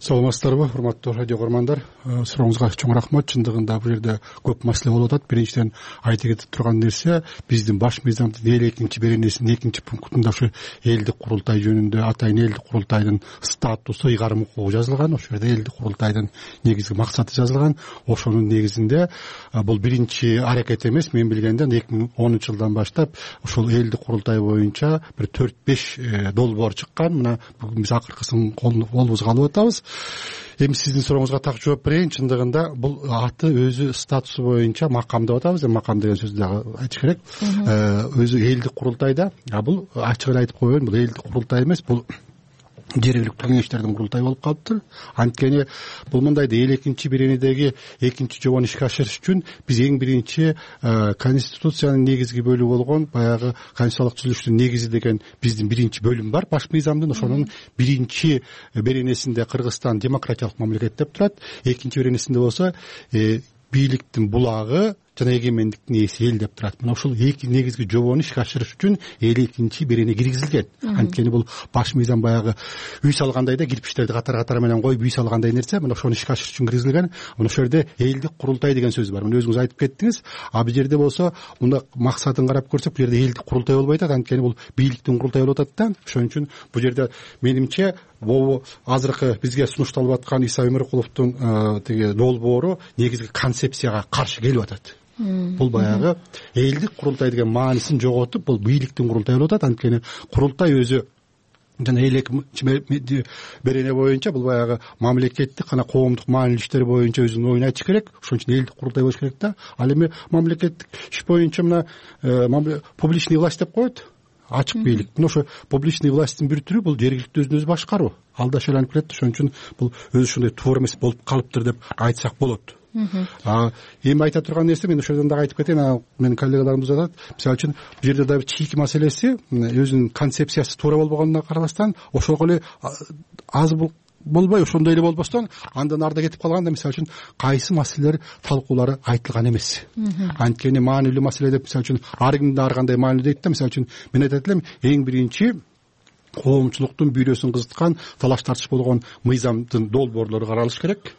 саламатсыздарбы, урматтуу радио көрөрмандар. Сурооңузга чоң рахмат. Чындыгында бул жерде көп маселе болуп атат. Биринчиден айта кетип турган нерсе, биздин баш мыйзамдын 52 беренесинин 2 пунктунда ушу элдик курултай жөнүндө атайын элдик курултайдын статусу, ыйгарым укугу жазылган. Ошол жерде элдик курултайдын негизги максаты жазылган. Ошонун негизинде бул биринчи аракет эмес, мен билгенден 2010 жылдан баштап ушул элдик курултай боюнча бир 4-5 долбоор чыккан. Мына бүгүн биз акыркысын колубузга алып атабыз. Эми сиздин сурооңузга так жооп берейин. Чындыгында бул аты өзү статусу боюнча макам деп атабыз. Макам деген сөздү дагы айтыш керек. Өзү элдик курултайда, бул ачык эле айтып коеюн, бул элдик курултай эмес, бул жергиликтүү кеңештердин курултайы болуп калыптыр. Анткени бул мындай 52 беренедеги 2 жобону ишке ашырыш үчүн биз эң биринчи конституциянын негизги бөлүгү болгон баягы конституциялык түзүлүштүн негизи деген биздин биринчи бөлүм бар баш мыйзамдын. Ошонун биринчи беренесинде Кыргызстан демократиялык мамлекет деп турат. Экинчи беренесинде болсо бийликтин булагы жана эгемендиктин ээси эл деп турат. Мына ушул эки негизги жобону ишке ашырыш үчүн 52 берене киргизилген. Анткени бул баш мыйзам баягы үй салгандай да кирпичтерди катар менен коюп үй салгандай нерсе. Мына ошону ишке ашырыш үчүн киргизилген. Мына ошол жерде элдик курултай деген сөз бар. Мына өзүңүз айтып кеттиңиз. Бул жерде болсо мында максатын карап көрсөк, бул жерде элдик курултай болбой атат. Анткени бул бийликтин курултайы болуп атат да. Ошон үчүн бул жерде менимче бул азыркы бизге сунушталып аткан Иса Өмүркуловдун тиги долбоору негизги концепцияга каршы келип атат. Бул баягы элдик курултай деген маанисин жоготуп, бул бийликтин курултайы болуп атат. Анткени курултай өзү жана 52 берене боюнча бул баягы мамлекеттик жана коомдук маанилүү иштер боюнча өзүнүн оюн айтыш керек. Ошон үчүн элдик курултай болуш керек да. Ал эми мамлекеттик иш боюнча мына публичный власть деп коет. Ачык бийлик. Мына ошо публичный власттын бир түрү бул жергиликтүү өзүн өзү башкаруу. Ал да ошол айланып келет. Ошон үчүн бул өзү ушундай туура эмес болуп калыптыр деп айтсак болот. Эми айта турган нерсе, мен ошол жерден дагы айтып кетейин, менин коллегаларымыз атат. Мисалы үчүн бул жерде дагы чийки маселеси, өзүнүн концепциясы туура болбогонуна карабастан, ошол эле аз болбой, ошондой эле болбостон, андан арда кетип калганда, мисалы үчүн кайсы маселелер талкуулары айтылган эмес. Анткени маанилүү маселе деп, мисалы үчүн ар кимде ар кандай маанилүү дейт да. Мисалы үчүн мен айтат элем, эң биринчи коомчулуктун бүйрөсүн кызыткан, талаш тартыш болгон мыйзамдын долбоорлору каралыш керек.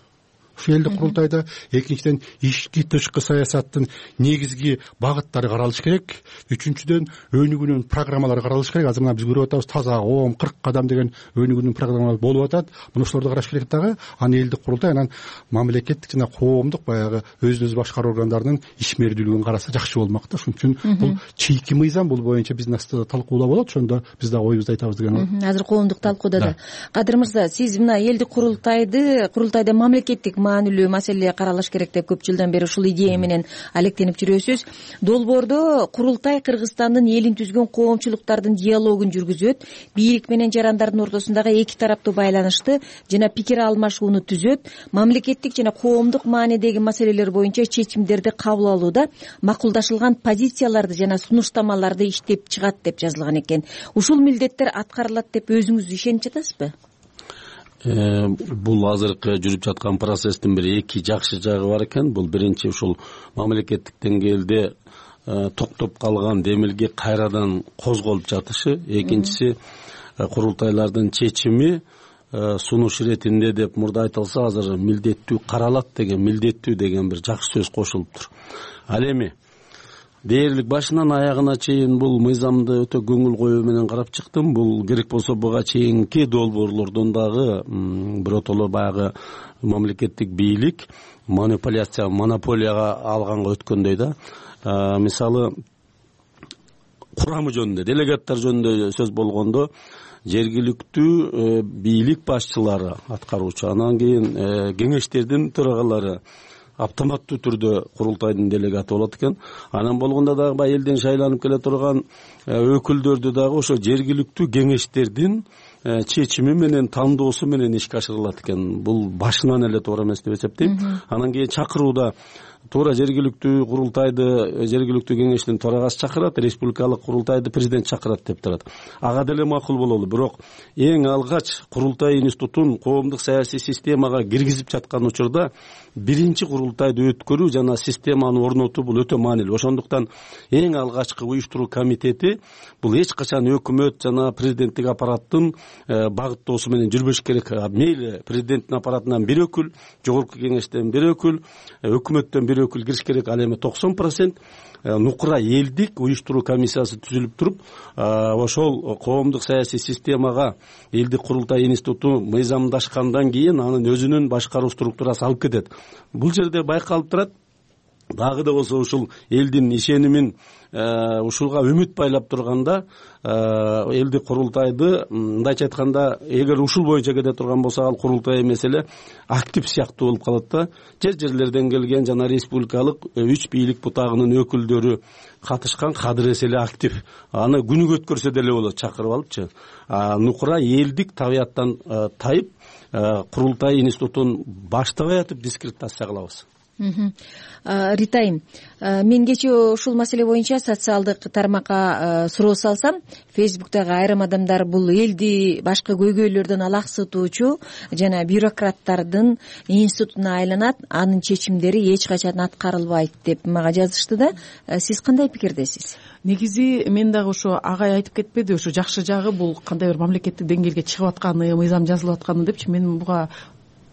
Ушул элдик курултайда. Экинчиден, ички тышкы саясаттын негизги багыттары каралыш керек. Үчүнчүдөн, өнүгүүнүн программалары каралыш керек. Азыр мына биз көрүп атабыз, таза коом 40 кадам деген өнүгүүнүн программалары болуп атат. Мына ошолорду караш керек дагы. Аны элдик курултай анан мамлекеттик жана коомдук баягы өзүн өзү башкаруу органдарынын ишмердүүлүгүн караса жакшы болмок да. Ошон үчүн бул чийки мыйзам, бул боюнча биздин астыда талкуулоо болот. Ошондо биз дагы оюбузду айтабыз деген. Азыр коомдук талкууда да. Кадыр мырза, сиз мына элдик курултайда мамлекеттик маанилүү маселе каралыш керек деп көп жылдан бери ушул идея менен алектенип жүрөсүз. Долбоордо курултай Кыргызстандын элин түзгөн коомчулуктардын диалогун жүргүзөт, бийлик менен жарандардын ортосундагы эки тараптуу байланышты жана пикир алмашууну түзөт, мамлекеттик жана коомдук маанидеги маселелер боюнча чечимдерди кабыл алууда макулдашылган позицияларды жана сунуштамаларды иштеп чыгат деп жазылган экен. Ушул милдеттер аткарылат деп өзүңүз ишенип жатасызбы? Бул азыркы жүрүп жаткан процесстин бир эки жакшы жагы бар экен. Бул биринчи ушул мамлекеттик деңгээлде токтоп калган демилге кайрадан козголуп жатышы. Экинчиси, курултайлардын чечими сунуш иретинде деп мурда айтылса, азыр милдеттүү каралат деген, милдеттүү деген бир жакшы сөз кошулуптур. Ал эми дээрлик башынан аягына чейин бул мыйзамды өтө көңүл коюу менен карап чыктым. Бул керек болсо буга чейинки долбоорлордон дагы биротоло баягы мамлекеттик бийлик монополияга алганга өткөндөй да. Мисалы, курамы жөнүндө, делегаттар жөнүндө сөз болгондо, жергиликтүү бийлик башчылары, аткаруучу, анан кийин кеңештердин төрагалары автоматтуу түрдө курултайдын делегаты болот экен. Анан болгондо дагы баягы элден шайланып келе турган өкүлдөрдү дагы ошо жергиликтүү кеңештердин чечими менен, тандоосу менен ишке ашырылат экен. Бул башынан эле туура эмес деп эсептейм. Анан кийин чакырууда туура жергиликтүү курултайды, жергиликтүү кеңештин төрагасы чакырат, республикалык курултайды президент чакырат деп турат. Ага деле макул бололу. Бирок эң алгач курултай институтун коомдук саясий системага киргизип жаткан учурда биринчи курултайды өткөрүү жана системаны орнотуу бул өтө маанилүү. Ошондуктан эң алгачкы уюштуруу комитети бул эч качан өкмөт жана президенттик аппараттын багыттоосу менен жүрбөш керек. Мейли президенттин аппаратынан бир өкүл, жогорку кеңештен бир өкүл, өкмөттөн бир өкүл кириш керек. Ал эми 90% нукура элдик уюштуруу комиссиясы түзүлүп туруп, ошол коомдук саясий системага элдик курултай институту мыйзамдашкандан кийин анын өзүнүн башкаруу структурасы алып кетет. Бул жерде байкалып турат. Дагы да болсо ушул элдин ишенимин ушулга үмүт байлап турганда элдик курултайды мындайча айтканда эгер ушул боюнча кете турган болсо ал курултай эмес эле актив сыяктуу болуп калат да. Жерлерден келген жана республикалык 3 бийлик бутагынын өкүлдөрү катышкан кадыр эс эле актив. Аны күнүгө өткөрсө деле болот, чакырып алыпчы. Нукура элдик табияттан тайып курултай институтун баштабай атып дискредитация кылабыз. Рита айым, мен кечээ ушул маселе боюнча социалдык тармакка суроо салсам, Фейсбуктагы айрым адамдар бул элди башка көйгөйлөрдөн алаксытуучу жана бюрократтардын институтуна айланат, анын чечимдери эч качан аткарылбайт деп мага жазышты да. Сиз кандай пикирдесиз? Негизи мен дагы ошо агай айтып кетпеди, ошо жакшы жагы бул кандай бир мамлекеттик деңгээлге чыгып атканы, мыйзам жазылып атканы депчи. Мен буга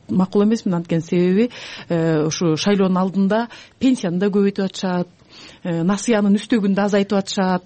макул эмесмин, анткени себеби ушу шайлоонун алдында пенсияны да көбөйтүп атышат, насыянын үстөгүн да азайтып атышат,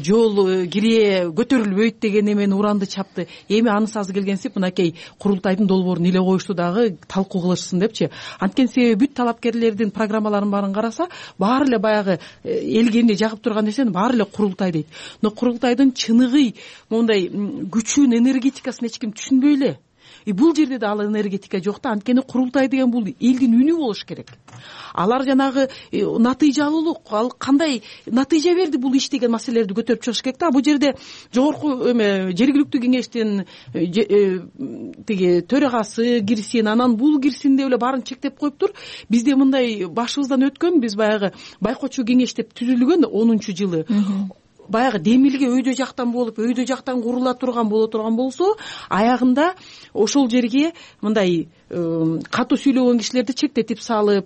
жол кире көтөрүлбөйт деген эмени уранды чапты. Эми анысы азы келгенсип мынакей курултайдын долбоорун эле коюшту дагы талкуу кылышсын депчи. Анткени себеби бүт талапкерлердин программаларын баарын караса, баары эле баягы элге эмне жагып турган нерсени баары эле курултай дейт. Но курултайдын чыныгы мондай күчүн, энергетикасын эч ким түшүнбөй эле. Бул жерде да ал энергетика жок да. Анткени курултай деген бул элдин үнү болуш керек. Алар жанагы натыйжалуулук, ал кандай натыйжа берди бул иш деген маселелерди көтөрүп чыгыш керек да. Бул жерде жогорку жергиликтүү кеңештин тиги төрагасы кирсин, анан бул кирсин деп эле баарын чектеп коюптур. Бизде мындай башыбыздан өткөн, биз баягы байкоочу кеңеш деп түзүлгөн 10-жылы. Баягы демилге өйдө жактан болуп, өйдө жактан курула турган болсо, аягында ошол жерге мындай катуу сүйлөгөн кишилерди чектетип салып,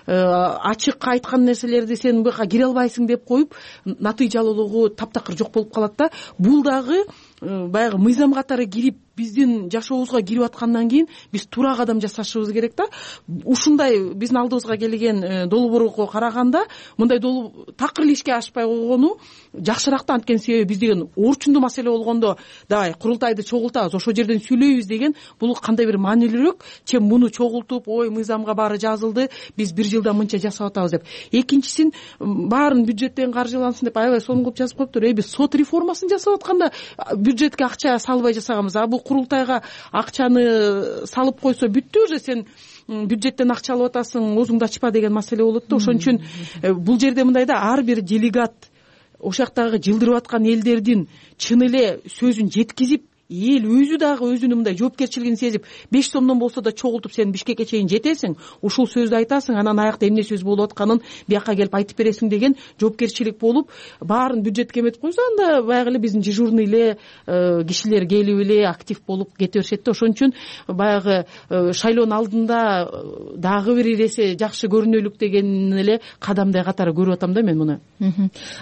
ачык айткан нерселерди сен буга кире албайсың деп коюп, натыйжалуулугу таптакыр жок болуп калат да. Бул дагы баягы мыйзам катары кирип, биздин жашообузга кирип аткандан кийин биз туура кадам жасашыбыз керек да. Ушундай биздин алдыбызга келген долбоорго караганда мындай такыр эле ишке ашпай койгону жакшыраак да. Анткени себеби биз деген орчундуу маселе болгондо давай курултайды чогултабыз, ошол жерден сүйлөйбүз деген бул кандай бир маанилүүрөөк, чем муну чогултуп, ой мыйзамга баары жазылды, биз бир жылда мынча жасап атабыз деп. Экинчисин баарын бюджеттен каржылансын деп аябай сонун кылып жазып коюптур. Биз сот реформасын жасап атканда бюджетке акча салбай жасаганбыз. Бул курултайга акчаны салып койсо бүттү, уже сен бюджеттен акча алып атасың, оозуңду ачпа деген маселе болот да. Ошон үчүн бул жерде мындай да, ар бир делегат ошол жактагы жылдырып аткан элдердин чын эле сөзүн жеткизип, эл өзү дагы өзүнүн мындай жоопкерчилигин сезип, 5 сомдон болсо да чогултуп сен Бишкекке чейин жетесиң, ушул сөздү айтасың, анан аякта эмне сөз болуп атканын бияка келип айтып бересиң деген жоопкерчилик болуп, баарын бюджетке эметип койсо, анда баягы эле биздин дежурный эле кишилер келип эле актив болуп кете беришет да. Ошон үчүн баягы шайлоонун алдында дагы бир иресе жакшы көрүнөлүк деген эле кадамдай катары көрүп атам да мен муну.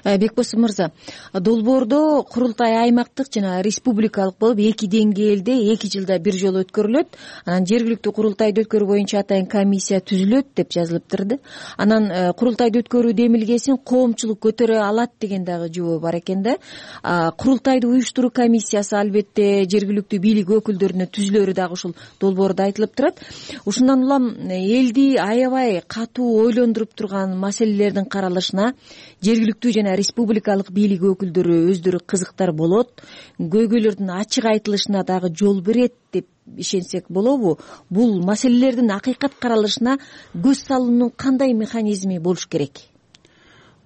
Бекбосов мырза, долбоордо курултай аймактык жана республикалык болуп 2 деңгээлде 2 жылда бир жолу өткөрүлөт. Анан жергиликтүү курултайды өткөрүү боюнча атайын комиссия түзүлөт деп жазылыптыр. Анан курултайды өткөрүү демилгесин коомчулук көтөрө алат деген дагы жобо бар экен да. Курултайды уюштуруу комиссиясы албетте жергиликтүү бийлик өкүлдөрүнө түзүлөрү дагы ушул долбоордо айтылып турат. Ушундан улам элди аябай катуу ойлондуруп турган маселелердин каралышына жергиликтүү жана республикалык бийлик өкүлдөрү өздөрү кызыктар болот, көйгөйлөрдүн ачык айтылышына дагы жол берет деп ишенсек болобу? Бул маселелердин акыйкат каралышына көз салуунун кандай механизми болуш керек?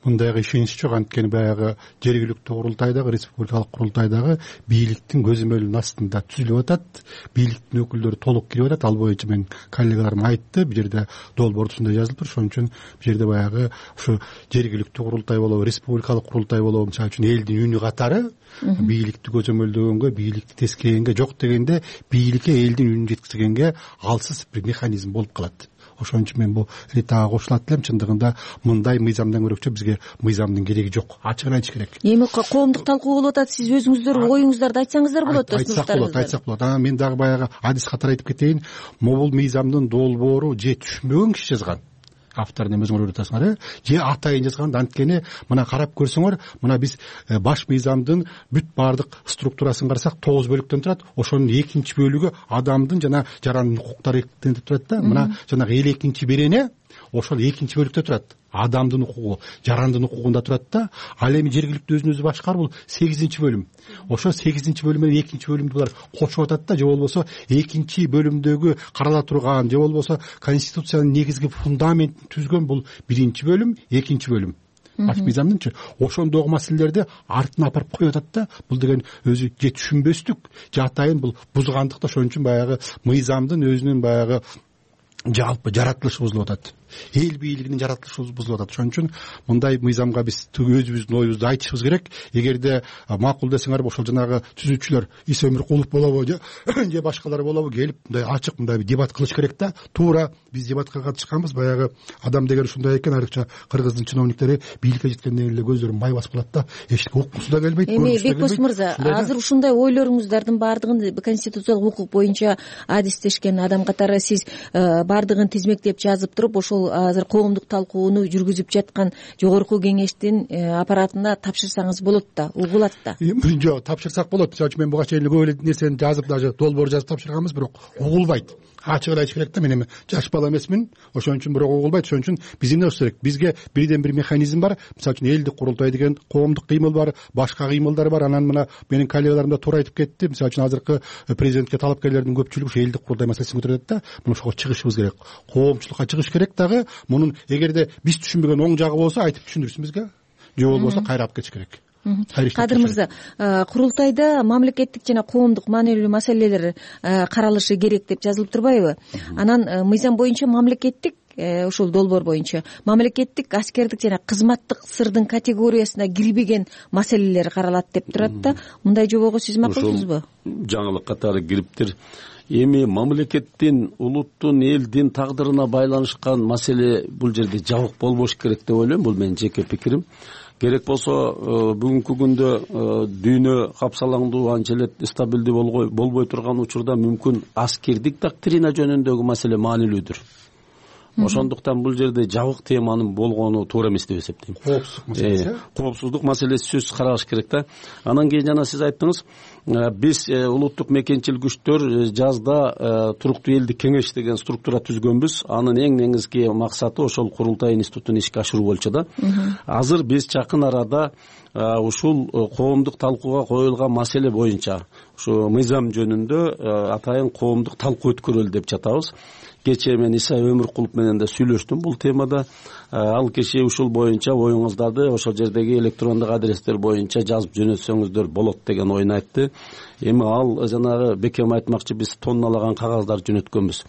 Мындайга ишенич жок. Анткени баягы жергиликтүү курултайдагы, республикалык курултайдагы бийликтин көзөмөлүнүн астында түзүлүп атат. Бийликтин өкүлдөрү толук кирип атат. Ал боюнча мен коллегаларым айтты. Бул жерде долбоордо ушундай жазылып тур. Ошон үчүн бул жерде баягы ушу жергиликтүү курултай болобу, республикалык курултай болобу, мисалы үчүн элдин үнү катары бийликти көзөмөлдөгөнгө, бийликти тескегенге, жок дегенде бийликке элдин үнүн жеткизгенге алсыз бир механизм болуп калат. ошон үчүн мен бул ритага кошулат элем. Чындыгында мындай мыйзамдан көрөкчө бизге мыйзамдын кереги жок, ачыгын айтыш керек. Эми коомдук талкуу болуп атат, сиз өзүңүздөр оюңуздарды айтсаңыздар болот. Айтсак болот. Мен дагы баягы адис катары айтып кетейин. Могул мыйзамдын долбоору же түшүнбөгөн киши жазган, авторун эми өзүңөр көрүп атасыңар, же атайын жазган. Анткени мына карап көрсөңөр, мына биз баш мыйзамдын бүт баардык структурасын карасак 9 бөлүктөн турат. Ошонун экинчи бөлүгү адамдын жана жарандын укуктары деп турат да. Мына жанагы 52-чи берене ошол экинчи бөлүктө турат. Адамдын укугу, жарандын укугунда турат да. Ал эми жергиликтүү өзүн өзү башкаруу бул 8-чи бөлүм. Ошо 8-чи бөлүм менен 2-чи бөлүмдү булар кошуп атат да. Же болбосо 2-чи бөлүмдөгү карала турган, же болбосо конституциянын негизги фундаментин түзгөн бул 1-чи бөлүм, 2-чи бөлүм. Баш мыйзамдынчы ошондогу маселелерди артына апарып коюп атат да. Бул деген өзү же түшүнбөстүк, же атайын бул бузгандык да. Ошон үчүн баягы мыйзамдын өзүнүн баягы жалпы жаратылышы бузулуп атат. Эл бийлигинин жаратылышы бузулуп атат. Ошон үчүн мындай мыйзамга биз өзүбүздүн оюбузду айтышыбыз керек. Эгерде макул десеңер, ошол жанагы түзүүчүлөр Иса Өмүркулов болобу же башкалар болобу келип мындай ачык мындай дебат кылыш керек да. Туура биз дебатка катышканбыз. Баягы адам деген ушундай экен, айрыкча кыргыздын чиновниктери бийликке жеткенден эле көздөрүн май басып калат да. Эчтеке уккусу да келбейт. Эми Бекбос мырза, азыр ушундай ойлоруңуздардын баардыгын конституциялык укук боюнча адистешкен адам катары сиз баардыгын тизмектеп жазып туруп, ошол азыр коомдук талкууну жүргүзүп жаткан жогорку кеңештин аппаратына тапшырсаңыз болот да, угулат да. Жок, тапшырсак болот. Мисалы үчүн мен буга чейин көп эле нерсени жазып, даже долбоор жазып тапшырганбыз, бирок угулбайт. Ачыгын айтыш керек да. Мен эми жаш бала эмесмин, ошон үчүн бирок угулбайт. Ошон үчүн биз эмне кылыш керек? Бизге бирден бир механизм бар. Мисалы үчүн элдик курултай деген коомдук кыймыл бар, башка кыймылдар бар. Анан мына менин коллегаларым да туура айтып кетти. Мисалы үчүн азыркы президентке талапкерлердин көпчүлүгү ушу элдик курултай маселесин көтөрөт да. Мына ошого чыгышыбыз керек. Коомчулукка чыгыш керек дагы. Мунун эгерде биз түшүнбөгөн оң жагы болсо айтып түшүндүрсүн бизге. Же болбосо кайра алып кетиш керек. Кадыр мырза, курултайда мамлекеттик жана коомдук маанилүү маселелер каралышы керек деп жазылып турбайбы? Анан мыйзам боюнча мамлекеттик ушул долбоор боюнча мамлекеттик, аскердик жана кызматтык сырдын категориясына кирбеген маселелер каралат деп турат да. Мындай жобого сиз макулсузбу? Жаңылык катары кириптир. Эми мамлекеттин, улуттун, элдин тагдырына байланышкан маселе бул жерде жабык болбош керек деп ойлойм. Бул менин жеке пикирим. Керек болсо бүгүнкү күндө дүйнө капсалаңдуу, анча эле стабилдүү болбой турган учурда мүмкүн аскердик доктрина жөнүндөгү маселе маанилүүдүр. Ошондуктан бул жерде жабык теманын болгону туура эмес деп эсептейм. Коопсуздук маселеси сөзсүз каралыш керек да. Анан кийин жана сиз айттыңыз, биз улуттук мекенчил күчтөр жазда туруктуу элдик кеңеш деген структура түзгөнбүз. Анын эң негизги максаты ошол курултай институтун ишке ашыруу болчу да. Азыр биз жакын арада ушул коомдук талкууга коюлган маселе боюнча ушу мыйзам жөнүндө атайын коомдук талкуу өткөрөлү деп жатабыз. Кечээ мен Иса Өмүркулов менен да сүйлөштүм бул темада. Ал киши ушул боюнча оюңуздарды ошол жердеги электрондук адрестер боюнча жазып жөнөтсөңүздөр болот деген оюн айтты. Эми ал жанагы бекем айтмакчы, биз тонналаган кагаздар жөнөткөнбүз.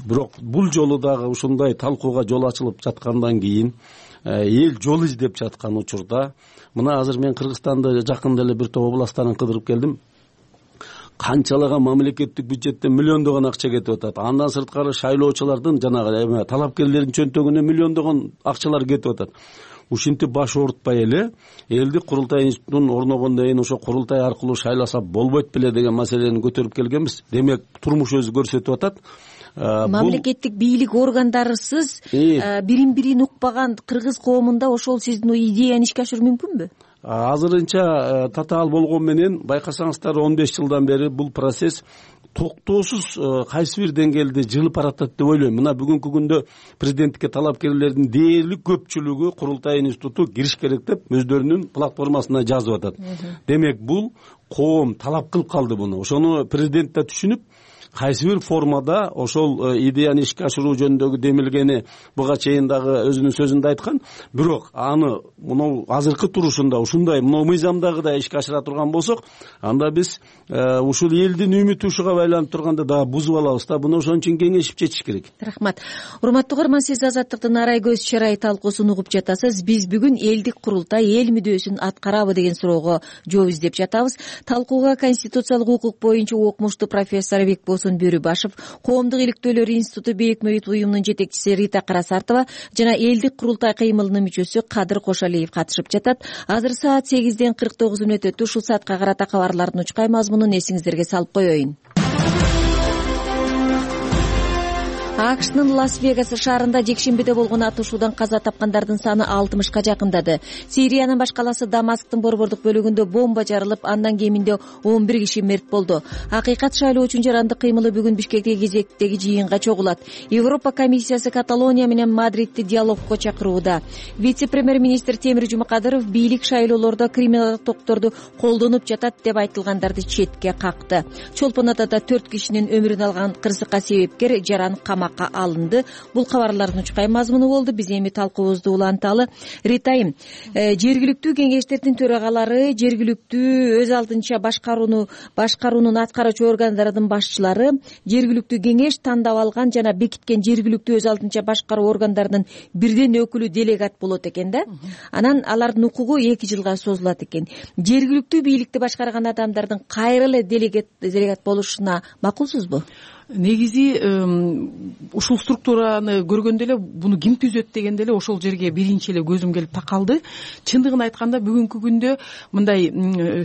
Бирок бул жолу дагы ушундай талкууга жол ачылып жаткандан кийин эл жол издеп жаткан учурда, мына азыр мен Кыргызстанды жакында эле бир топ областтарын кыдырып келдим. Канчалаган мамлекеттик бюджеттен миллиондогон акча кетип атат. Андан сырткары шайлоочулардын жанагы талапкерлердин чөнтөгүнө миллиондогон акчалар кетип атат. Ушинтип баш оорутпай эле элдик курултай институтун орногондон кийин ошо курултай аркылуу шайласа болбойт беле деген маселени көтөрүп келгенбиз. Демек турмуш өзү көрсөтүп атат. Мамлекеттик бийлик органдарысыз бирин укпаган кыргыз коомунда ошол сиздин идеяны ишке ашыруу мүмкүнбү? Азырынча татаал болгон менен байкасаңыздар 15 жылдан бери бул процесс токтоосуз кайсы бир деңгээлде жылып баратат деп ойлойм. Мына бүгүнкү күндө президенттикке талапкерлердин дээрлик көпчүлүгү курултай институту кириш керек деп өздөрүнүн платформасына жазып атат. Демек бул коом талап кылып калды буну. Ошону президент да түшүнүп, кайсы бир формада ошол идеяны ишке ашыруу жөнүндөгү демилгени буга чейин дагы өзүнүн сөзүндө айткан. Бирок аны мына азыркы турушунда ушундай мына мыйзамдагыдай ишке ашыра турган болсок, анда биз ушул элдин үмүтү ушуга байланып турганда дагы бузуп алабыз да. Буну ошон үчүн кеңешип четиш керек. Рахмат. Урматтуу угарман, сиз Азаттыктын арай көз чырай талкуусун угуп жатасыз. Биз бүгүн элдик курултай эл мүдөөсүн аткарабы деген суроого жооп издеп жатабыз. Талкууга конституциялык укук боюнча окумуштуу профессор Бекбос Турсун Бөрүбашев, Коомдук иликтөөлөр институту бейик мөйүт уюмунун жетекчиси Рита Карасартова жана элдик курултай кыймылынын мүчөсү Кадыр Кошалиев катышып жатат. Азыр саат 8:49 өтүп, ушул саатка карата кабарлардын учкай мазмунун эсиңиздерге салып коеюн. АКШнын Лас-Вегас шаарында жекшембиде болгон атышуудан каза тапкандардын саны 60ка жакындады. Сириянын баш калаасы Дамасктын борбордук бөлүгүндө бомба жарылып, андан кеминде 11 киши мерт болду. Акыйкат шайлоо үчүн жарандык кыймылы бүгүн Бишкектеги кезектеги жыйынга чогулат. Европа комиссиясы Каталония менен Мадридти диалогко чакырууда. Вице-премьер-министр Темир Жумакадыров бийлик шайлоолордо криминалдык токторду колдонуп жатат деп айтылгандарды четке какты. Чолпон Атада 4 кишинин өмүрүн алган кырсыкка себепкер жаран камакка алынды. Бул кабарлардын учкай мазмуну болду. Биз эми талкуубузду уланталы. Ритайым, жергиликтүү кеңештердин төрагалары, жергиликтүү өз алдынча башкаруунун аткаруучу органдарынын башчылары, жергиликтүү кеңеш тандап алган жана бекиткен жергиликтүү өз алдынча башкаруу органдарынын бирден өкүлү делегат болот экен да. Анан алардын укугу 2 жылга созулат экен. Жергиликтүү бийликти башкарган адамдардын кайра эле делегат болушуна макулсузбу? Негизи ушул структураны көргөндө эле буну ким түзөт дегенде эле ошол жерге биринчи эле көзүм келип такалды. Чындыгын айтканда бүгүнкү күндө мындай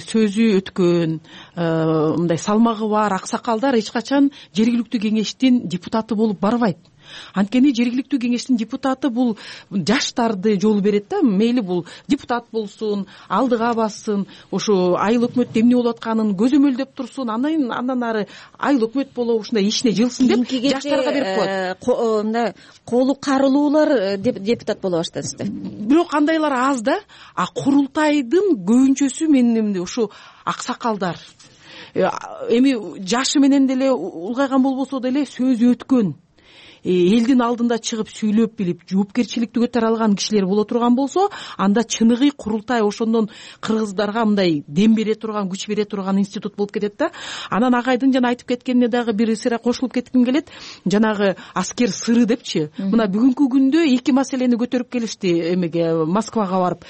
сөзү өткөн, мындай салмагы бар аксакалдар эч качан жергиликтүү кеңештин депутаты болуп барбайт. Анткени жергиликтүү кеңештин депутаты бул жаштарды жол берет да. Мейли бул депутат болсун, алдыга бассын, ошо айыл өкмөт эмне болуп атканын көзөмөлдөп турсун, андан ары айыл өкмөт болобу ушундай ишине жылсын деп жаштарга берип коет. Мындай колу карылуулар депутат боло баштады. Бирок кандайлар аз да. А курултайдын көбүнчөсү менин ушу аксакалдар. Эми жашы менен деле улгайган болбосо деле сөзү өткөн, элдин алдында чыгып сүйлөп билип жоопкерчиликти көтөрө алган кишилер боло турган болсо, анда чыныгы курултай ошондон кыргыздарга мындай дем бере турган, күч бере турган институт болуп кетет да. Анан агайдын жана айтып кеткенине дагы бир сыйра кошулуп кетким келет. Жанагы аскер сыры депчи. Мына бүгүнкү күндө 2 маселени көтөрүп келишти эмеге, Москвага барып.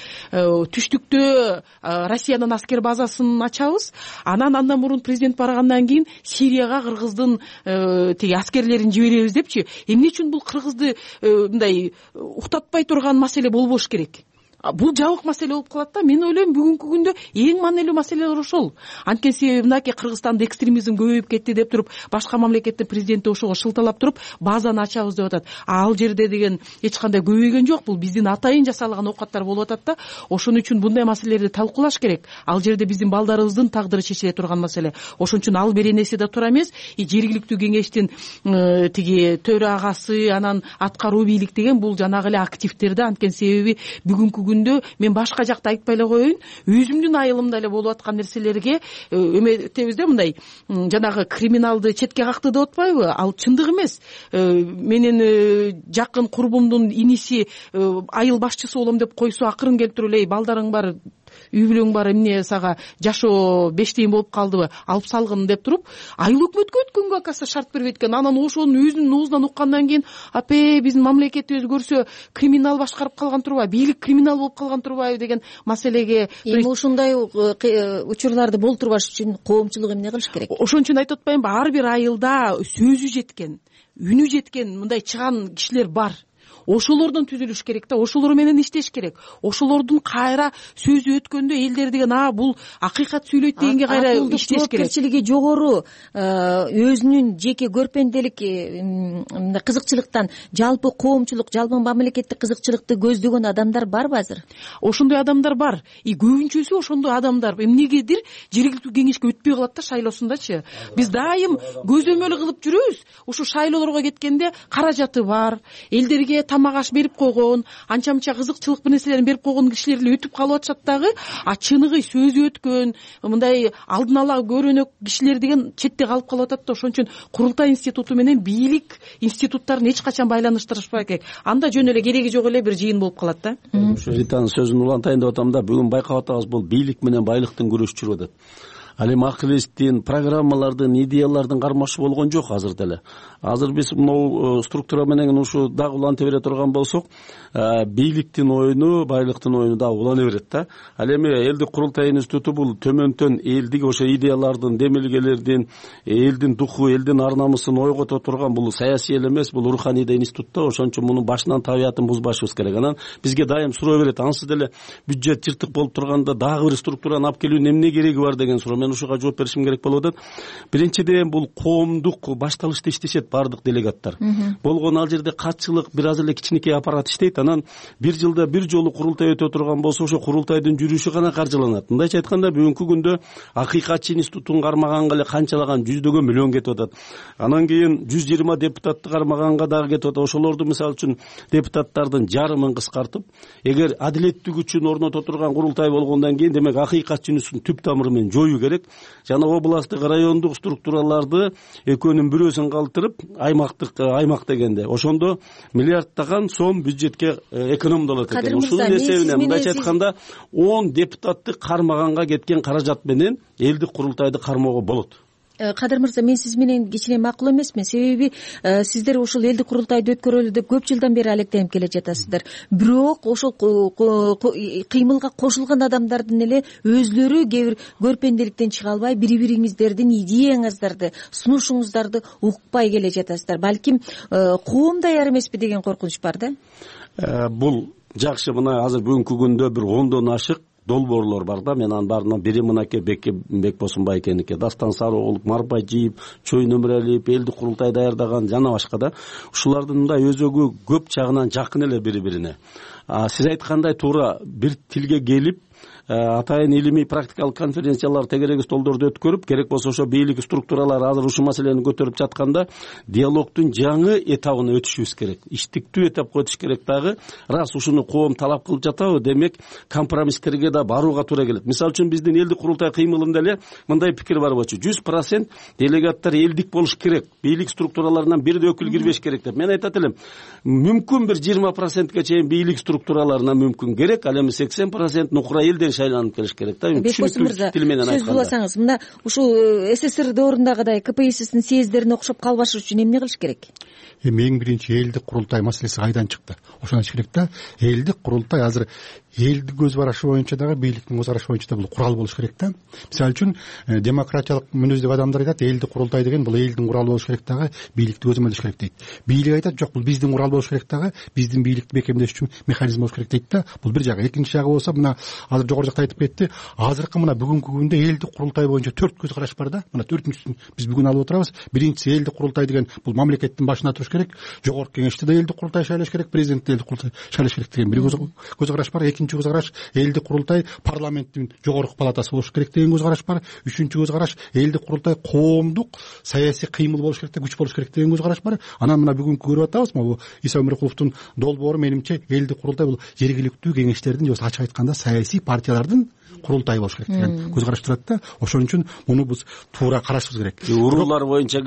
Түштүктө Россиянын аскер базасын ачабыз. Андан мурун президент баргандан кийин Сирияга кыргыздын тиги аскерлерин жиберебиз депчи. Эмне үчүн бул кыргызды мындай уктатпай турган маселе болбош керек? Бул жабык маселе болуп калат да. Мен ойлойм бүгүнкү күндө эң маанилүү маселелер ошол. Анткени себеби мынакей Кыргызстанда экстремизм көбөйүп кетти деп туруп, башка мамлекеттин президенти ошого шылталап туруп, базаны ачабыз деп атат. Ал жерде деген эч кандай көбөйгөн жок. Бул биздин атайын жасалган оокаттар болуп атат да. Ошон үчүн мындай маселелерди талкуулаш керек. Ал жерде биздин балдарыбыздын тагдыры чечиле турган маселе. Ошон үчүн ал беренеси да туура эмес. Жергиликтүү кеңештин тиги төрагасы, анан аткаруу бийлик деген бул жанагы эле активдер да. Анткени себеби бүгүнкү күндө мен башка жакта айтпай эле коеюн, өзүмдүн айылымда эле болуп аткан нерселерге эметебиз да, мындай жанагы криминалды четке какты деп атпайбы? Ал чындык эмес. Менин жакын курбумдун иниси айыл башчысы болом деп койсо, акырын келип туруп эле балдарың бар, үй бүлөң бар, эмне сага жашоо 5 тыйын болуп калдыбы, алып салгын деп туруп, айыл өкмөткө өткөнгө акасы шарт бербейт экен. Анан ошонун өзүнүн оозунан уккандан кийин, апе биздин мамлекетибиз көрсө криминал башкарып калган турбайбы, бийлик криминал болуп калган турбайбы деген маселеге эми ушундай учурларды болтурбаш үчүн коомчулук эмне кылыш керек? Ошон үчүн айтып атпаймынбы, ар бир айылда сөзү жеткен, үнү жеткен мындай чыган кишилер бар. Ошолордон түзүлүш керек да, ошолор менен иштеш керек. Ошолордун кайра сөзү өткөндө элдер деген бул акыйкат сүйлөйт дегенге кайра иштеш керек. Жоопкерчилиги жогору, өзүнүн жеке көрпенделик кызыкчылыктан жалпы коомчулук, жалпы мамлекеттик кызыкчылыкты көздөгөн адамдар барбы азыр? Ошондой адамдар бар. Көбүнчөсү ошондой адамдар эмнегедир жергиликтүү кеңешке өтпөй калат да шайлоосундачы. Биз дайым көзөмөл кылып жүрөбүз. Ушу шайлоолорго кеткенде каражаты бар, элдерге тамак аш берип койгон, анча-мынча кызыкчылык бир нерселерин берип койгон кишилер эле өтүп калып атышат дагы, чыныгы сөзү өткөн, мындай алдын ала көрөнөк кишилер деген четте калып калып атат да. Ошон үчүн курултай институту менен бийлик институттарын эч качан байланыштырышпай керек. Анда жөн эле кереги жок эле бир жыйын болуп калат да. Ританын сөзүн улантайын деп атам да, бүгүн байкап атабыз, бул бийлик менен байлыктын күрөшү жүрүп атат. ал эми акыл эстин, программалардын, идеялардын кармашы болгон жок азыр деле. Азыр биз могу структура менен ушу дагы уланта бере турган болсок, бийликтин оюну, байлыктын оюну дагы улана берет да. Ал эми элдик курултай институту бул төмөндөн элдик ошо идеялардын, демилгелердин, элдин духу, элдин ар намысын ойгото турган бул саясий эле эмес, бул руханий да институт да. Ошон үчүн мунун башынан табиятын бузбашыбыз керек. Анан бизге дайым суроо берет, ансыз деле бюджет жыртык болуп турганда дагы бир структураны алып келүүнүн эмне кереги бар деген суроо. Мен ушуга жооп беришим керек болуп атат. Биринчиден бул коомдук башталышта иштешет баардык делегаттар. Болгон ал жерде катчылык бир аз эле кичинекей аппарат иштейт. Анан бир жылда бир жолу курултай өтө турган болсо, ошо курултайдын жүрүшү гана каржыланат. Мындайча айтканда, бүгүнкү күндө акыйкатчы институтун кармаганга эле канчалаган жүздөгөн миллион кетип атат. Анан кийин 120 депутатты кармаганга дагы кетип атат. Ошолорду мисалы үчүн депутаттардын жарымын кыскартып, эгер адилеттик үчүн орното турган курултай болгондон кийин, демек акыйкатчы институтун түп тамыры менен жоюу керек. Жана областтык, райондук структураларды экөөнүн бирөөсүн калтырып, аймак дегенде ошондо миллиарддаган сом бюджетке экономдолот экен. Ушунун эсебинен мындайча айтканда 10 депутатты кармаганга кеткен каражат менен элдик курултайды кармоого болот. Кадыр мырза, мен сиз менен кичине макул эмесмин. Себеби сиздер ушул элдик курултайды өткөрөлү деп көп жылдан бери алектенип келе жатасыздар. Бирок ошол кыймылга кошулган адамдардын эле өзлөрү кээ бир көрпенделиктен чыга албай, бири-бириңиздердин идеяңыздарды, сунушуңуздарды укпай келе жатасыздар. Балким коом даяр эмеспи деген коркунуч бар да. Бул жакшы. Мына азыр бүгүнкү күндө бир 10дон ашык долбоорлор бар да. Мен анын баарынан бири мынакей Бекбосунбай экеники, Дастан Сарыоğlu, Марбажиев, Чой Нөмүралиев, элдик курултай даярдаган жана башка да. Ушулардын мындай өзөгү көп жагынан жакын эле бири-бирине. Сиз айткандай туура бир тилге келип, атайын илимий практикалык конференциялар, тегерек столдорду өткөрүп, керек болсо ошо бийлик структуралары азыр ушул маселени көтөрүп жатканда диалогдун жаңы этабына өтүшүбүз керек. Иштиктүү этапка өтүш керек дагы. Раз ушуну коом талап кылып жатабы, демек компромисстерге да барууга туура келет. Мисалы үчүн биздин элдик курултай кыймылында эле мындай пикир бар болчу: 100% делегаттар элдик болуш керек, бийлик структураларынан бир да өкүл кирбеш керек деп. Мен айтат элем, мүмкүн бир 20%ге чейин бийлик структураларына мүмкүн керек, ал эми 80% нукура элден шайланып келиш керек да. Түшүнүктүү тил менен айтканда. Сөз уласаңыз, мына ушул СССР доорундагыдай КПССтин съезддерине окшоп калбаш үчүн эмне кылыш керек? Эң биринчи элдик курултай маселеси кайдан чыкты? Ошону айтыш керек да. Элдик курултай азыр элдик көз карашы боюнча дагы, бийликтин көз карашы боюнча да бул курал болуш керек да. Мисалы үчүн демократиялык мүнөздөгү адамдар айтат, элдик курултай деген бул элдин куралы болуш керек дагы, бийликти көзөмөлдөш керек дейт. Бийлик айтат, жок, бул биздин курал болуш керек дагы, биздин бийликти бекемдеш үчүн механизм болуш керек дейт да. Бул бир жагы. Экинчи жагы болсо, мына азыр жогору жакта айтып кетти, азыркы мына бүгүнкү күндө элдик курултай боюнча 4 көз караш бар да. Мына 4-үчүсүн биз бүгүн алып отурабыз. Биринчиси, элдик курултай деген бул мамлекеттин башына туруш керек. Жогорку кеңеште да элдик курултай шайлаш керек, президент элдик курултай шайлаш керек деген бир көз караш бар. Экинчи көз караш, элдик курултай парламенттин жогорку палатасы болуш керек деген көз караш бар. Үчүнчү көз караш, элдик курултай коомдук саясий кыймыл болуш керек, күч болуш керек деген көз караш бар. Анан мына бүгүнкү көрүп атабыз, могу Иса Өмүркуловдун долбоору, менимче элдик курултай бул жергиликтүү кеңештердин, же болбосо ачык айтканда саясий партиялардын курултай болуш керек деген көз караш турат да. Ошон үчүн муну биз туура карашыбыз керек. Уруулар боюнча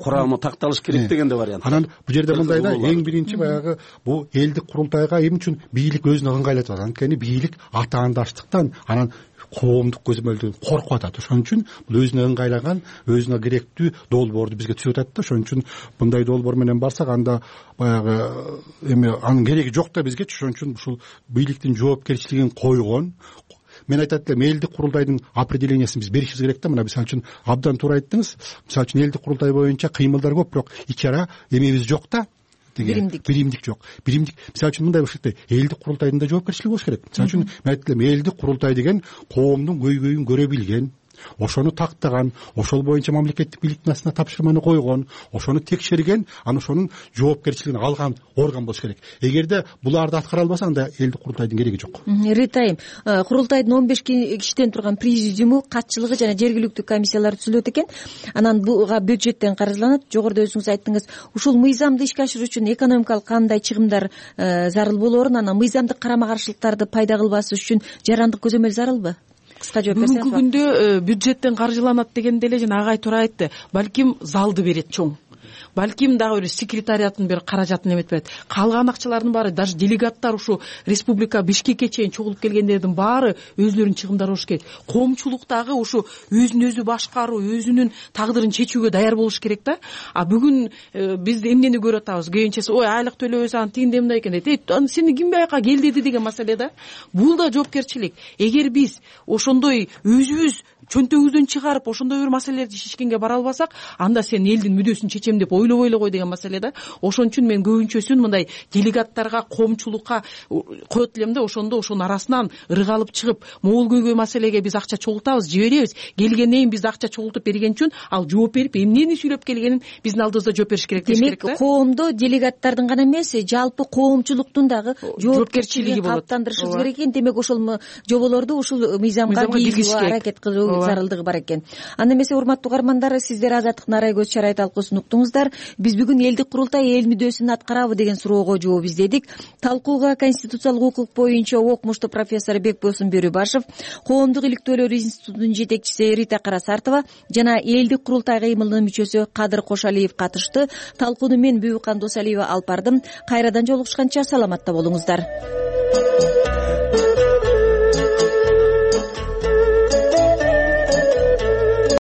курамы такталыш керек деген да вариант. Анан бул жерде мындай да, эң биринчи баягы бул элдик курултайга эмне үчүн бийлик өзүн ыңгайлатып атат? Анткени бийлик атаандаштыктан, анан коомдук көзөмөлдөн коркуп атат. Ошон үчүн бул өзүнө ыңгайлаган, өзүнө керектүү долбоорду бизге түзүп атат да. Ошон үчүн мындай долбоор менен барсак, анда баягы эми анын кереги жок да бизге. Ошон үчүн ушул бийликтин жоопкерчилигин койгон, мен айтат элем, элдик курултайдын определениясын биз беришибиз керек да. Мына мисалы үчүн абдан туура айттыңыз. Мисалы үчүн элдик курултай боюнча кыймылдар көп, бирок ичи ара эмебиз жок да. Биримдик жок. Биримдик, мисалы үчүн мындай болуш керек да, элдик курултайдын да жоопкерчилиги болуш керек. Мисалы үчүн мен айтат элем, элдик курултай деген коомдун көйгөйүн көрө билген, ошону тактаган, ошол боюнча мамлекеттик бийликтин астына тапшырманы койгон, ошону текшерген, анан ошонун жоопкерчилигин алган орган болуш керек. Эгерде буларды аткара албаса, анда элдик курултайдын кереги жок. Ритайым, курултайдын 15 кишиден турган президиуму, катчылыгы жана жергиликтүү комиссиялар түзүлөт экен. Анан буга бюджеттен каржыланат. Жогоруда өзүңүз айттыңыз, ушул мыйзамды ишке ашыруу үчүн экономикалык кандай чыгымдар зарыл болоорун, анан мыйзамдык карама каршылыктарды пайда кылбас үчүн жарандык көзөмөл зарылбы? Кыска жооп берсеңиз. Бүгүнкү күндө бюджеттен каржыланат дегенде эле жана агай туура айтты. Балким залды берет чоң. балким дагы бир секретариаттын бир каражатын эметип берет. Калган акчалардын баары даже делегаттар ушу республика Бишкекке чейин чогулуп келгендердин баары өзүлөрүнүн чыгымдары болуш керек. Коомчулук дагы ушу өзүн өзү башкаруу, өзүнүн тагдырын чечүүгө даяр болуш керек да. А бүгүн биз эмнени көрүп атабыз? Кийинчеси ой айлык төлөбөс анан тигиндей мындай экен дейт. Сени ким бияка кел деди деген маселе да. Бул да жоопкерчилик. Эгер биз ошондой өзүбүз чөнтөгүбүздөн чыгарып ошондой бир маселелерди чечкенге бара албасак, анда сен элдин мүдөсүн чечем деп ойлобой эле кой деген маселе да. Ошон үчүн мен көбүнчөсүн мындай делегаттарга, коомчулукка коет элем да, ошондо ошонун арасынан ырык алып чыгып, могул көйгөй маселеге биз акча чогултабыз, жиберебиз. Келгенден кийин биз акча чогултуп берген үчүн ал жооп берип, эмнени сүйлөп келгенин биздин алдыбызда жооп бериш керек деш керек да. Демек, коомдо делегаттардын гана эмес, жалпы коомчулуктун дагы жоопкерчилигин калыптандырышыбыз керек экен. Демек, ошол жоболорду ушул мыйзамга киргизүүгө аракет кылуу зарылдыгы бар экен. Анда эмесе, урматтуу угармандар, сиздер Азаттык Нарай көз чарай талкуусун уктуңуздар. Биз бүгүн элдик курултай эл мүдөсүн аткарабы деген суроого жооп издедик. Талкууга конституциялык укук боюнча окмуштуу профессор Бекбосун Бөрүбашев, Коомдук иликтөөлөр институтунун жетекчиси Рита Карасартова жана элдик курултай кыймылынын мүчөсү Кадыр Кошалиев катышты. Талкууну мен Бүбүкан Досалиева алып бардым. Кайрадан жолугушканча саламатта болуңуздар.